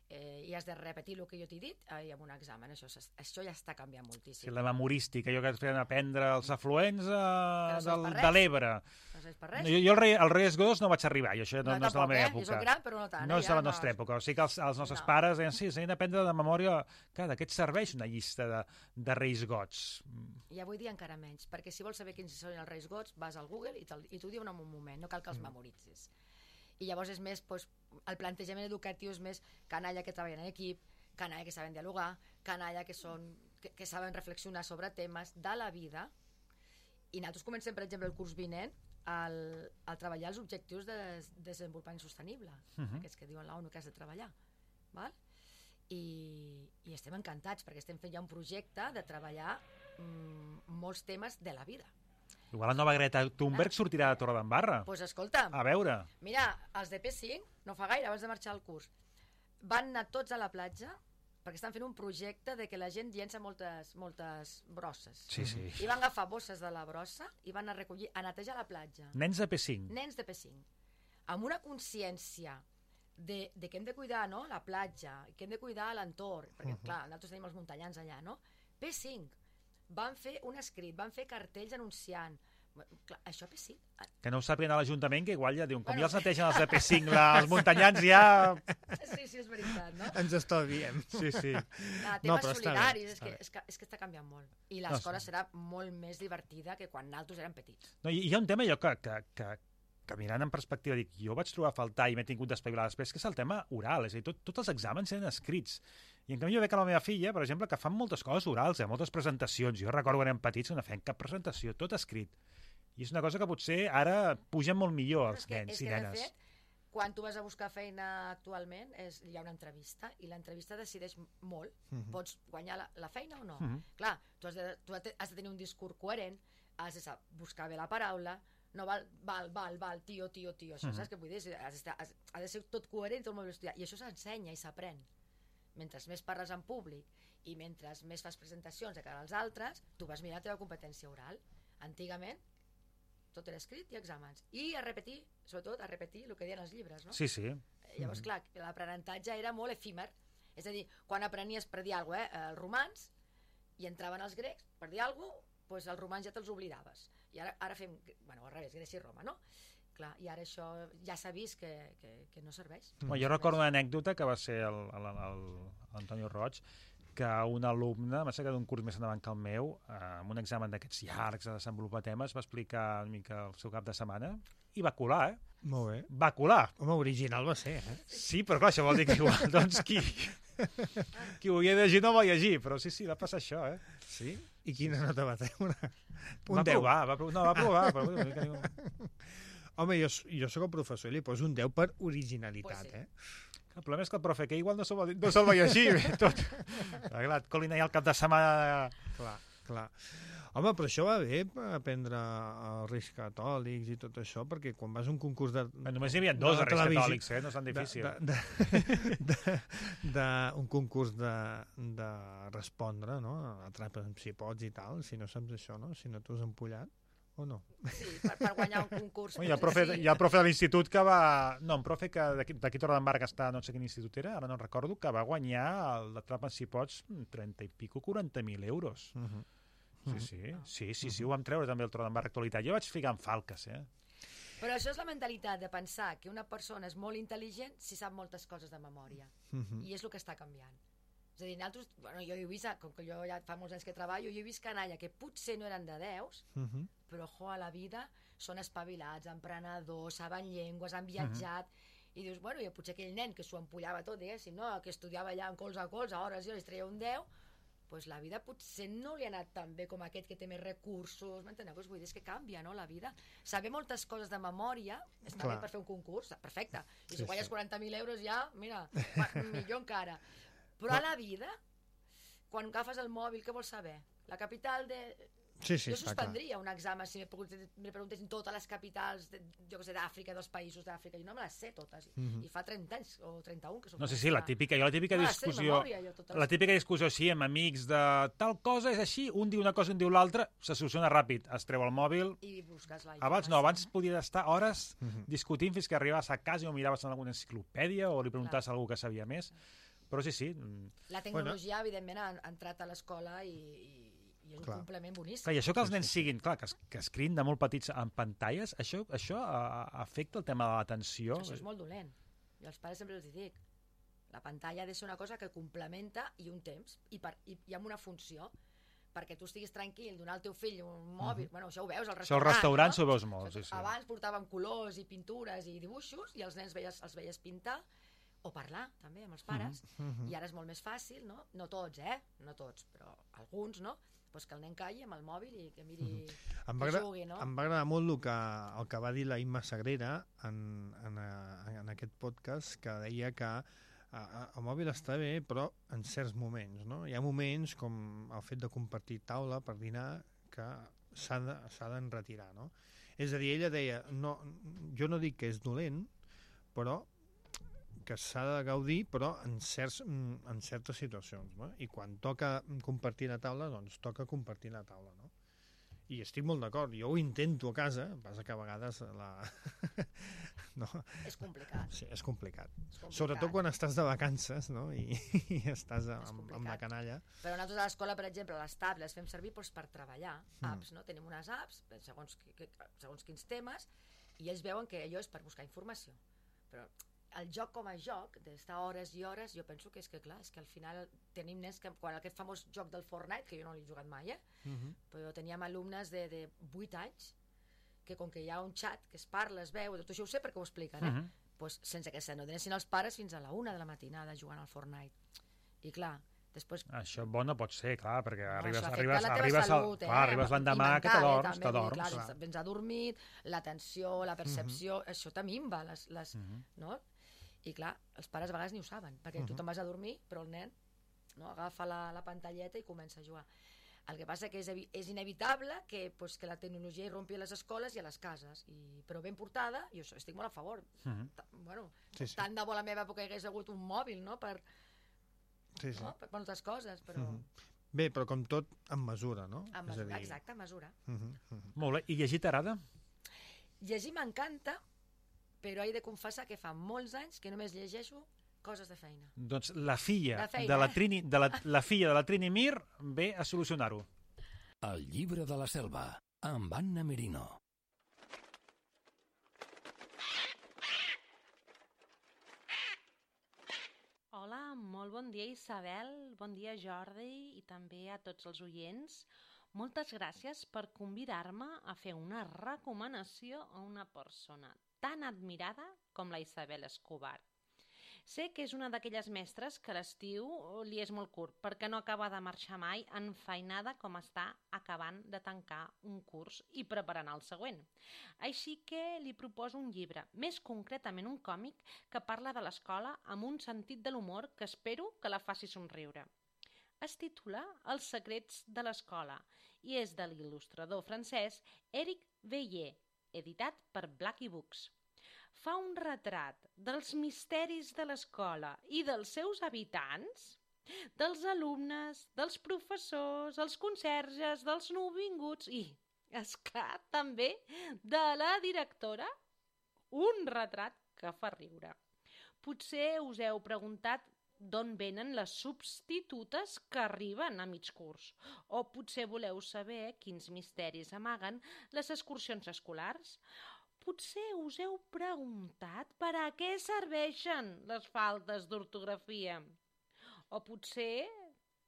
i has de repetir el que jo t'he dit i amb un examen. Això ja està canviant moltíssim. Sí, la memorística, allò que es feien aprendre els afluents de l'Ebre. No sé per res. Jo al Reyes Godos no vaig arribar, i això no és de la meva època. Jo soc gran, però no tant. No és de la nostra època. O sigui que els nostres pares deien, sí, s'han d'aprendre de memòria. Clar, d'aquest serveix una llista de Reis Gots. I avui dia encara menys, perquè si vols saber quins són els Reis Gots, vas al Google i t'ho diuen en un moment, no cal que els memoritzis. I llavors és més, el plantejament educatiu és més canalla que treballen en equip, canalla que saben dialogar, canalla que que saben reflexionar sobre temes de la vida, i nosaltres comencem, per exemple, el curs vinent a treballar els objectius de desenvolupament sostenible, aquests que diuen l'ONU que has de treballar, val? I estem encantats perquè estem fent ja un projecte de treballar molts temes de la vida. Igual la nova Greta Thunberg sortirà de Torredembarra. Doncs escolta, A veure. mira, els de P5, no fa gaire, abans de marxar al curs, van anar tots a la platja perquè estan fent un projecte de que la gent llença moltes brosses. Sí, sí. I van agafar bosses de la brossa i van a recollir, a netejar la platja. Nens de P5. Nens de P5. Amb una consciència de que hem de cuidar, no?, la platja, que hem de cuidar l'entorn, perquè, clar, nosaltres tenim els muntanyans allà, no? P5 van fer un escrit, van fer cartells anunciant. Clar, això P5... Que no ho sàpiguen a l'Ajuntament, que igual ja diuen, com ja els netegen els de P5, els muntanyans ja... Sí, és veritat, no? Ens estalviem. Sí. Temes solidaris, és que està canviant molt. I l'escola serà molt més divertida que quan nosaltres érem petits. No, hi ha un tema jo que mirant en perspectiva, dic, jo vaig trobar a faltar i m'he tingut d'espavilar després, que és el tema oral, és a dir, tots els exàmens eren escrits. I en canvi jo veig a la meva filla, per exemple, que fan moltes coses orals, moltes presentacions. Jo recordo quan érem petits que no feien cap presentació, tot escrit. I és una cosa que potser ara pugen molt millor els nens i nenes. De fet, quan tu vas a buscar feina actualment, hi ha una entrevista, i l'entrevista decideix molt. Pots guanyar la feina o no? Clar, tu has de tenir un discurs coherent, has de buscar bé la paraula, no val, tio, això, saps què vull dir? Ha de ser tot coherent, tot molt ben estudiat, i això s'ensenya i s'aprèn. Mentre més parles en públic i mentre més fas presentacions de cara als altres, tu vas mirar la teva competència oral. Antigament, tot era escrit i exàmens. I a repetir, sobretot a repetir el que deien els llibres, no? Sí. Llavors, clar, l'aprenentatge era molt efímer. És a dir, quan aprenies per dir alguna cosa, els romans, i entraven els grecs, per dir alguna cosa, doncs els romans ja te'ls oblidaves. I ara fem, al revés, Grècia i Roma, no? Clar, i ara això ja s'ha vist que no serveix. Jo recordo una anècdota que va ser l'Antonio Roig, que un alumne, m'ha que d'un curs més endavant que el meu, amb un examen d'aquests llargs de desenvolupar temes, va explicar una mica el seu cap de setmana i va colar, Molt bé. Va colar. Home, original va ser, Sí, però clar, això vol dir que igual, doncs, qui ho havia de llegir no va llegir, però sí, va passar això, Sí? I quina nota va treure? Va provar. Però... Home, jo sóc el professor i li poso un 10 per originalitat, El problema és que el profe que igual no se'l va llegir tot. Clar, et colin allà el cap de setmana... Clar. Home, però això va bé aprendre els Reis Catòlics i tot això, perquè quan vas a un concurs de... Només hi havia dos Reis Catòlics, no és tan difícil. Un concurs de respondre, no? Atrapa'm si pots i tal, si no saps això, no? Si no t'ho has empollat, o no? Sí, per guanyar un concurs. Hi ha el profe de l'institut que va... No, un profe que d'aquí a Torredembarra que està, no sé quin institut era, ara no recordo, que va guanyar el d'Atrapa'm si pots 30 i pico, 40.000 euros. Sí, ho vam treure també el Torredembarra Actualitat. Jo vaig ficar en falques, Però això és la mentalitat de pensar que una persona és molt intel·ligent si sap moltes coses de memòria. I és el que està canviant. És a dir, nosaltres, jo he vist, com que jo ja fa molts anys que treballo, jo he vist canalla que potser no eren de 10, però a la vida són espavilats, emprenedors, saben llengües, han viatjat, i dius, i potser aquell nen que s'ho empollava tot, diguéssim, no? Que estudiava allà en colze a colze, a hores i hores, treia un 10, doncs la vida potser no li ha anat tan bé com aquest que té més recursos, m'enteneu? Vull dir, és que canvia, no?, la vida. Saber moltes coses de memòria està bé per fer un concurs, perfecte. I si guanyes 40.000 euros ja, mira, millor encara. Però a la vida, quan agafes el mòbil, què vols saber? La capital de... Jo suspendria un examen si me preguntessin totes les capitals, jo què sé, d'Àfrica, dels països d'Àfrica. Jo no me les sé totes. I fa 30 anys o 31 que soc... No sé, la típica discussió, sí, amb amics de tal cosa és així, un diu una cosa, un diu l'altra, se soluciona ràpid. Es treu el mòbil... I busques la Abans podies estar hores discutint fins que arribaves a casa i ho miraves en alguna enciclopèdia o li preguntaves a algú que sabia més. Però sí. La tecnologia, evidentment, ha entrat a l'escola i és un complement boníssim. Clar, i això que els nens siguin, que escrin de molt petits en pantalles, això afecta el tema de l'atenció? Això és molt dolent. Jo als pares sempre els dic, la pantalla ha de ser una cosa que complementa i un temps, i amb una funció, perquè tu estiguis tranquil, donar al teu fill un mòbil, això ho veus al restaurant. Això al restaurant ho veus molt, sí. Abans portaven colors i pintures i dibuixos, i els nens els veies pintar, o parlar també amb els pares, i ara és molt més fàcil, no? No tots, no tots, però alguns, no? Pues que el nen calli amb el mòbil i que miri, que jugui, no? Em va agradar molt el que va dir la Imma Sagrera en aquest podcast, que deia que el mòbil està bé, però en certs moments, no? Hi ha moments com el fet de compartir taula per dinar que s'ha d'enretirar, no? És a dir, ella deia, no, jo no dic que és dolent, però que s'ha de gaudir, però en certes situacions, no? I quan toca compartir la taula, doncs toca compartir la taula, no? I estic molt d'acord, jo ho intento a casa, passa que a vegades no. És complicat. Sí, és complicat. Sobretot quan estàs de vacances, no? I estàs amb la canalla. Però nosaltres a l'escola, per exemple, les tablets les fem servir per treballar, apps, no? Tenim unes apps, segons quins temes, i ells veuen que allò és per buscar informació. Però el joc com a joc, d'estar hores i hores, jo penso que és que, clar, és que al final tenim nens que, quan aquest famós joc del Fortnite, que jo no l'he jugat mai, però teníem alumnes de 8 anys, que com que hi ha un xat que es parla, es veu, tot això ho sé perquè ho expliquen, pues, sense que se n'adonessin els pares fins a la 1 de la matinada jugant al Fortnite. I clar, després... Això bo no pot ser, clar, perquè arribes l'endemà que t'adorms. Vens adormit, l'atenció, la percepció, això te minva, no? I clar, els pares a vegades ni ho saben, perquè tu te'n vas a dormir, però el nen agafa la pantalleta i comença a jugar. El que passa que és inevitable que la tecnologia irrompi a les escoles i a les cases, però ben portada, jo estic molt a favor. Tant de bo a la meva època hi hagués hagut un mòbil, no?, per moltes coses, però... Bé, però com tot, amb mesura, no? Amb mesura, exacte, amb mesura. Molt bé, i llegir t'agrada? Llegir m'encanta, però he de confessar que fa molts anys que només llegeixo coses de feina. Doncs la filla de la Trini Mir ve a solucionar-ho. El llibre de la selva, amb Anna Merino. Hola, molt bon dia Isabel, bon dia Jordi i també a tots els oients. Moltes gràcies per convidar-me a fer una recomanació a una persona tan admirada com la Isabel Escobar. Sé que és una d'aquelles mestres que l'estiu li és molt curt perquè no acaba de marxar mai enfeinada com està acabant de tancar un curs i preparant el següent. Així que li proposo un llibre, més concretament un còmic que parla de l'escola amb un sentit de l'humor que espero que la faci somriure. Es titula Els secrets de l'escola i és de l'il·lustrador francès Éric Veillé, editat per Blackie Books. Fa un retrat dels misteris de l'escola i dels seus habitants, dels alumnes, dels professors, els conserges, dels nouvinguts i, esclar, també de la directora, un retrat que fa riure. Potser us heu preguntat d'on venen les substitutes que arriben a mig curs, o potser voleu saber quins misteris amaguen les excursions escolars. Potser us heu preguntat per a què serveixen les faltes d'ortografia. O potser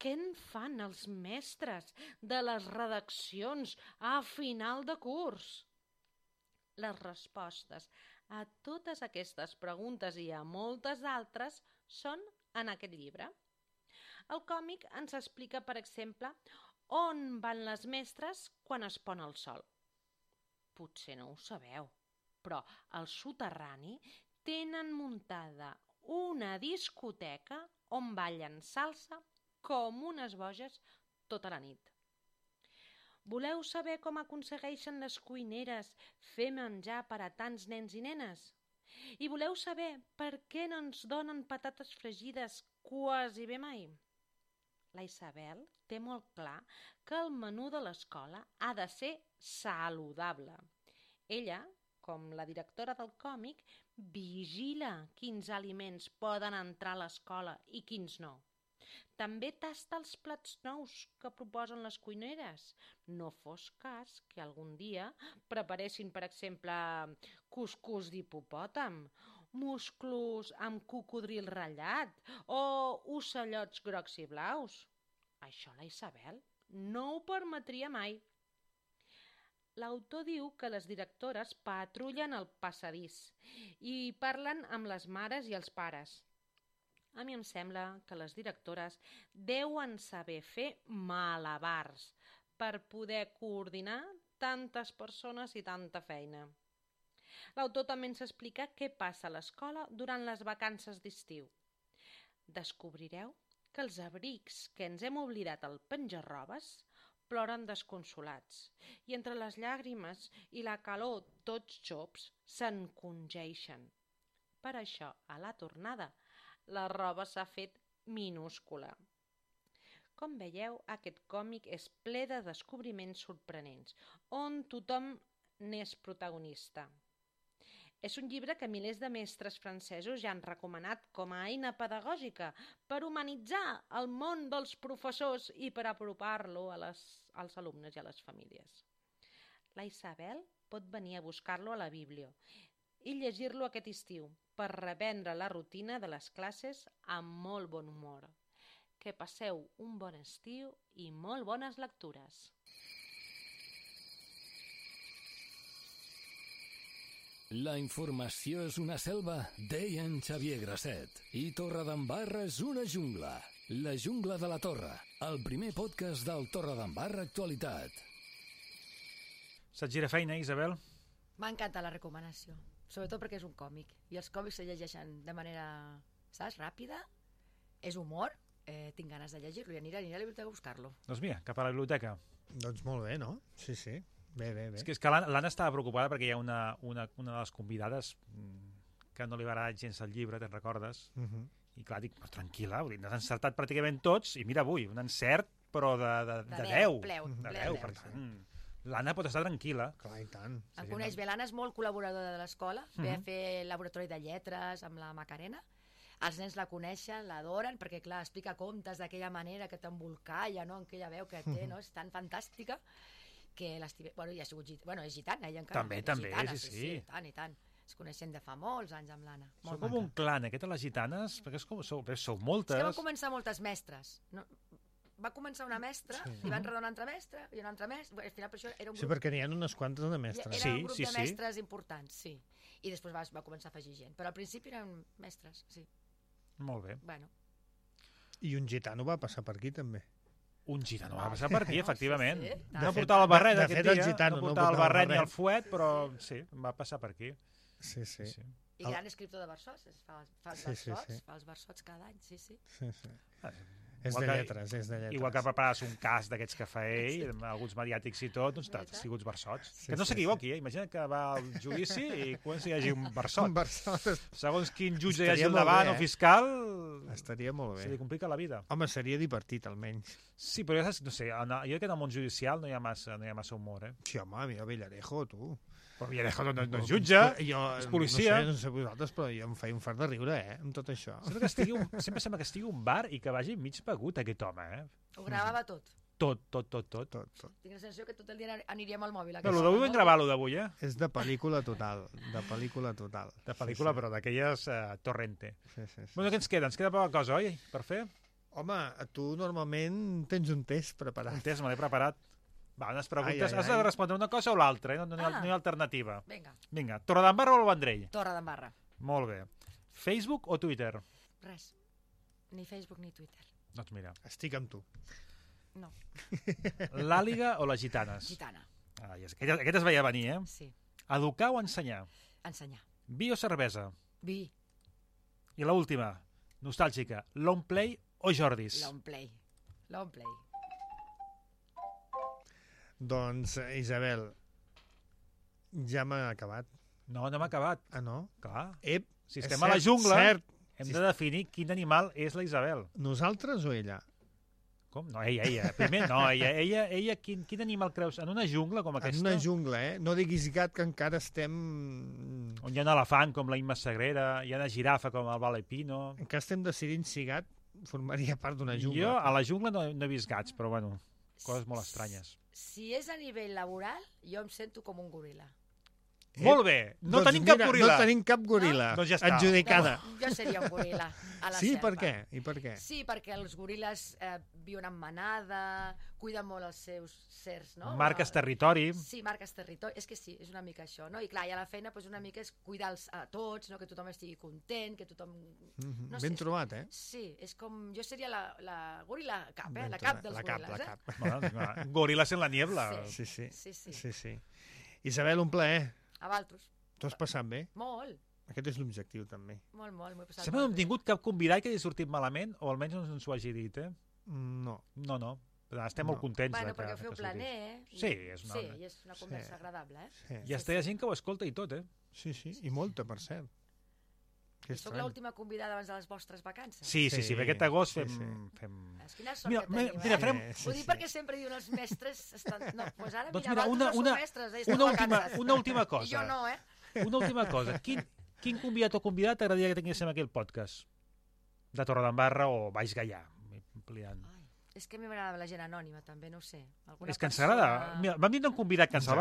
què en fan els mestres de les redaccions a final de curs. Les respostes a totes aquestes preguntes i a moltes altres són en aquest llibre. El còmic ens explica, per exemple, on van les mestres quan es pon el sol. Potser no ho sabeu, però al soterrani tenen muntada una discoteca on ballen salsa com unes boges tota la nit. Voleu saber com aconsegueixen les cuineres fer menjar per a tants nens i nenes? I voleu saber per què no ens donen patates fregides quasi bé mai? La Isabel té molt clar que el menú de l'escola ha de ser saludable. Ella, com la directora del còmic, vigila quins aliments poden entrar a l'escola i quins no. També tasta els plats nous que proposen les cuineres. No fos cas que algun dia preparessin, per exemple, cuscús d'hipopòtam, musclos amb cocodril ratllat o ocellots grocs i blaus. Això la Isabel no ho permetria mai. L'autor diu que les directores patrullen el passadís i parlen amb les mares i els pares. A mi em sembla que les directores deuen saber fer malabars per poder coordinar tantes persones i tanta feina. L'autor també ens explica què passa a l'escola durant les vacances d'estiu. Descobrireu que els abrics que ens hem oblidat al penjar-robes ploren desconsolats i entre les llàgrimes i la calor tots xops s'encongeixen. Per això, a la tornada, la roba s'ha fet minúscula. Com veieu, aquest còmic és ple de descobriments sorprenents, on tothom n'és protagonista. És un llibre que milers de mestres francesos ja han recomanat com a eina pedagògica per humanitzar el món dels professors i per apropar-lo als alumnes i a les famílies. La Isabel pot venir a buscar-lo a la Bíblia i llegir-lo aquest estiu per reprendre la rutina de les classes amb molt bon humor. Que passeu un bon estiu i molt bones lectures. La informació és una selva, deia en Xavier Grasset. I Torredembarra és una jungla. La jungla de la Torre, el primer podcast del Torredembarra Actualitat. Se't gira feina, Isabel? M'ha encantat la recomanació, sobretot perquè és un còmic. I els còmics se llegeixen de manera, saps, ràpida, és humor, tinc ganes de llegir-lo i aniré a la biblioteca a buscar-lo. Doncs mira, cap a la biblioteca. Doncs molt bé, no? Sí, sí. Bé. És que l'Anna estava preocupada perquè hi ha una de les convidades que no li va agradar gens el llibre, te'n recordes? I clar, dic, però tranquil·la, n'has encertat pràcticament tots, i mira avui, un encert, però de 10. De 10, per tant, l'Anna pot estar tranquil·la. Clar, i tant. Em coneix bé, l'Anna és molt col·laboradora de l'escola, ve a fer laboratori de lletres amb la Macarena. Els nens la coneixen, l'adoren, perquè clar, explica contes d'aquella manera que t'embolcalla, no? Aquella veu que té, no? És tan fantàstica que bueno, ja ha sigut és gitana, ella encara. També, gitana, sí. I tant. Es coneixen de fa molts anys amb l'Anna. Sou com un clan, aquestes les gitanes, perquè sou moltes. És que van començar moltes mestres. No, va començar una mestra, i van redar una altra mestra, i una altra mestra. Al final, per això era un grup... Sí, perquè n'hi ha unes quantes de mestres. Era un grup de mestres importants, sí. I després va començar a afegir gent. Però al principi eren mestres, sí. Molt bé. Bueno. I un gitano va passar per aquí, també. Un gitano va passar per aquí, efectivament. Sí. No portava el barret aquest dia, no portava el barret ni el fuet, però sí, va passar per aquí. Sí. I gran escriptor de versots, fa els versots cada any, sí. És de lletres. Igual que prepares un cas d'aquests que fa ell, amb alguns mediàtics i tot, doncs t'ha sigut versots. Que no s'equivoqui, imagina que va al judici i comença a llegir un versot. Segons quin jutge hi hagi al davant o fiscal, estaria molt bé. Se li complica la vida. Home, seria divertit, almenys. Sí, però no sé, jo crec que en el món judicial no hi ha massa humor, Sí, home, mira Villarejo, tu. Però Villarejo no és jutge, és policia. No sé vosaltres, però jo em feia un fart de riure, amb tot això. Sempre sembla que estigui un bar i que vagi mig begut aquest home, Ho gravava tot. Tot. Tinc la sensació que tot el dia aniríem al mòbil. Però l'avui vam gravar, l'avui, És de pel·lícula total. De pel·lícula, però d'aquelles torrente. Sí. Bueno, què ens queda? Ens queda poca cosa, oi, per fer? Home, tu normalment tens un test preparat. Un test, me l'he preparat. Va, unes preguntes. Has de respondre una cosa o l'altra, no hi ha alternativa. Vinga. Torredembarra o el Vendrell? Torredembarra. Molt bé. Facebook o Twitter? Res. Ni Facebook ni Twitter. Doncs mira. Estic amb tu. No. L'Àliga o les gitanes? Gitana. Aquest es veia venir, Sí. Educar o ensenyar? Ensenyar. Vi o cervesa? Vi. I l'última, nostàlgica, Long Play o Jordis? Long Play. Doncs, Isabel, ja m'ha acabat. No m'ha acabat. Ah, no? Clar. Si És estem a la jungla, cert. hem de definir quin animal és la Isabel. Nosaltres o ella? Com? No, ella. Primer, no, ella quin animal creus? En una jungla com aquesta? En una jungla, No diguis gat, que encara estem... On hi ha un elefant com la Imma Sagrera, hi ha una girafa com el Vale Pino... Encara estem decidint si gat formaria part d'una jungla. Jo a la jungla no he vist gats, però bueno, coses molt estranyes. Si és a nivell laboral, jo em sento com un goril·la. Molt bé, no tenim cap goril·la. No tenim cap goril·la. Doncs ja està. Adjudicada. Jo seria un goril·la a la Sí, selva. per què? I per què? Sí, perquè els goril·les viuen en manada, cuiden molt els seus certs, no? Marques territori. Sí, marques territori. És que sí, és una mica això, no? I clar, i a la feina doncs, una mica és cuidar a tots, no? Que tothom estigui content, que tothom... No Ben trobat, eh? Sí, és com... Jo seria la goril·la cap, Ben la cap trobat. dels La cap, goril·les, la cap. Bueno, gorilas en la niebla. Sí. Isabel, un plaer. A Valtros. T'ho has passat bé? Molt. Aquest és l'objectiu, també. Molt, m'ho he passat Sempre no hem tingut cap convidat que hagi sortit malament, o almenys no ens ho hagi dit, eh? No. No. Estem molt contents. Bueno, perquè ho feu planer, eh? Sí, és una... Sí, i és una conversa agradable, eh? Sí. I està hi ha gent que ho escolta i tot, eh? Sí, i molta, per cert. I soc l'última convidada abans de les vostres vacances. Sí, perquè aquest agost fem... Quina sort que tenim, mira, farem... Ho dic perquè sempre diuen els mestres... No, doncs ara, doncs mira, mira, no són mestres, una última cosa. I jo no, eh? Una última cosa. Quin convidat o convidat t'agradaria que tinguéssim aquí al podcast? De Torredembarra o Baix Gaià? Ampliant. És que a mi m'agrada la gent anònima, també, no ho sé. És que ens agrada. Mira, vam dir un convidat que ens el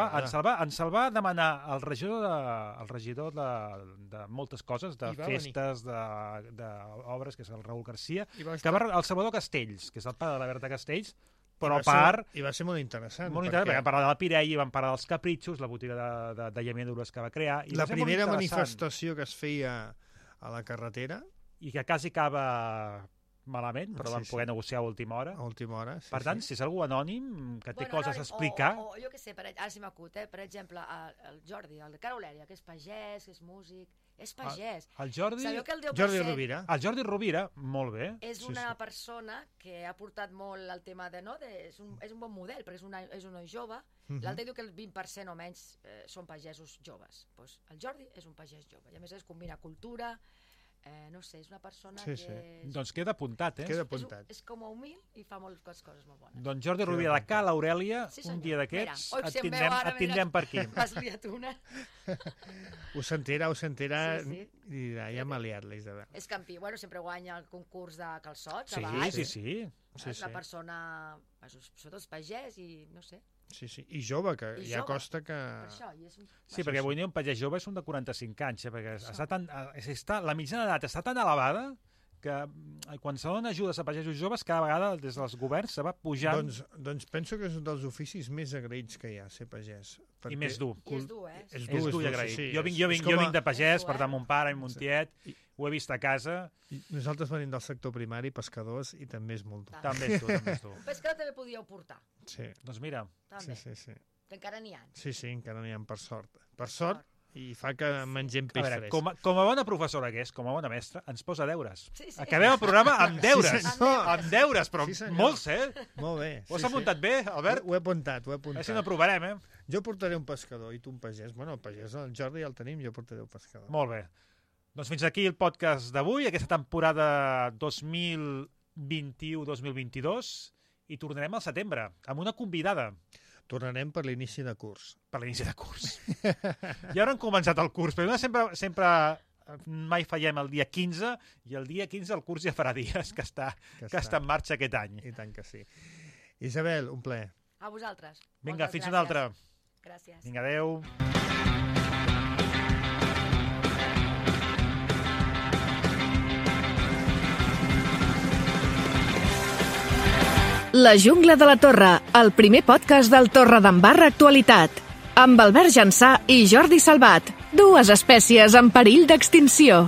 va demanar el regidor de moltes coses, de festes, d'obres, que és el Raül Garcia, el Salvador Castells, que és el pare de la Berta Castells, però a part... I va ser molt interessant. Molt interessant, perquè vam parlar de la Pirelli, vam parlar dels Capritxos, la botiga de llamedures que va crear... La primera manifestació que es feia a la carretera... I que quasi acaba... malament, però vam poder negociar a última hora. A última hora, sí. Per tant, si és algú anònim que té coses a explicar... O jo què sé, ara sí m'acut, per exemple, el Jordi, el de Carolèria, que és pagès, que és músic... És pagès. El Jordi... Sabeu que el 10%... Jordi Rovira. El Jordi Rovira, molt bé. És una persona que ha portat molt el tema de... És un bon model, perquè és un noi jove. L'altre diu que el 20% o menys són pagesos joves. El Jordi és un pagès jove. I a més combina cultura... no sé, és una persona que... Doncs queda apuntat, eh? Queda apuntat. És com a humil i fa moltes coses molt bones. Doncs Jordi Rovira de Ca l'Aurèlia, un dia d'aquests et tindrem per aquí. M'has liat una. Ho sentirà, i dirà, ja m'ha liat la Isabel. És campió, sempre guanya el concurs de calçots. Sí. Una persona, sobretot és pagès i no sé. Sí, i jove, que ja costa que... Sí, perquè avui un pagès jove és un de 45 anys, perquè la mitjana d'edat està tan elevada que quan se donen ajudes a pagesos joves, cada vegada des dels governs se va pujant... Doncs penso que és un dels oficis més agraïts que hi ha, ser pagès. I més dur. I és dur, eh? És dur i agraït. Jo vinc de pagès, per tant, mon pare i mon tiet, ho he vist a casa. Nosaltres venim del sector primari, pescadors, i també és molt dur. També és dur. Pescador també podíeu portar. Sí. Doncs mira. Sí. Que encara n'hi ha. Sí, encara n'hi ha, per sort. Per sort, i fa que mengem peix fresc. Com a bona professora que és, com a bona mestra, ens posa deures. Acabem el programa amb deures. Amb deures, però molts, eh? Molt bé. Ho has apuntat bé, Albert? Ho he apuntat. A veure si no provarem, eh? Jo portaré un pescador i tu un pagès. Bueno, el pagès, el Jordi ja el tenim, jo portaré un pescador. Molt bé. Doncs fins aquí el podcast d'avui, aquesta temporada 2021-2022, i tornarem al setembre, amb una convidada. Tornarem per l'inici de curs. Per l'inici de curs. Ja ara hem començat el curs, però sempre mai fallem el dia 15, i el dia 15 el curs ja farà dies que està en marxa aquest any. I tant que sí. Isabel, un plaer. A vosaltres. Vinga, fins una altra. Gràcies. Vinga, adeu. La Jungla de la Torre, el primer podcast del Torredembarra Actualitat. Amb Albert Jansà i Jordi Salvat, dues espècies en perill d'extinció.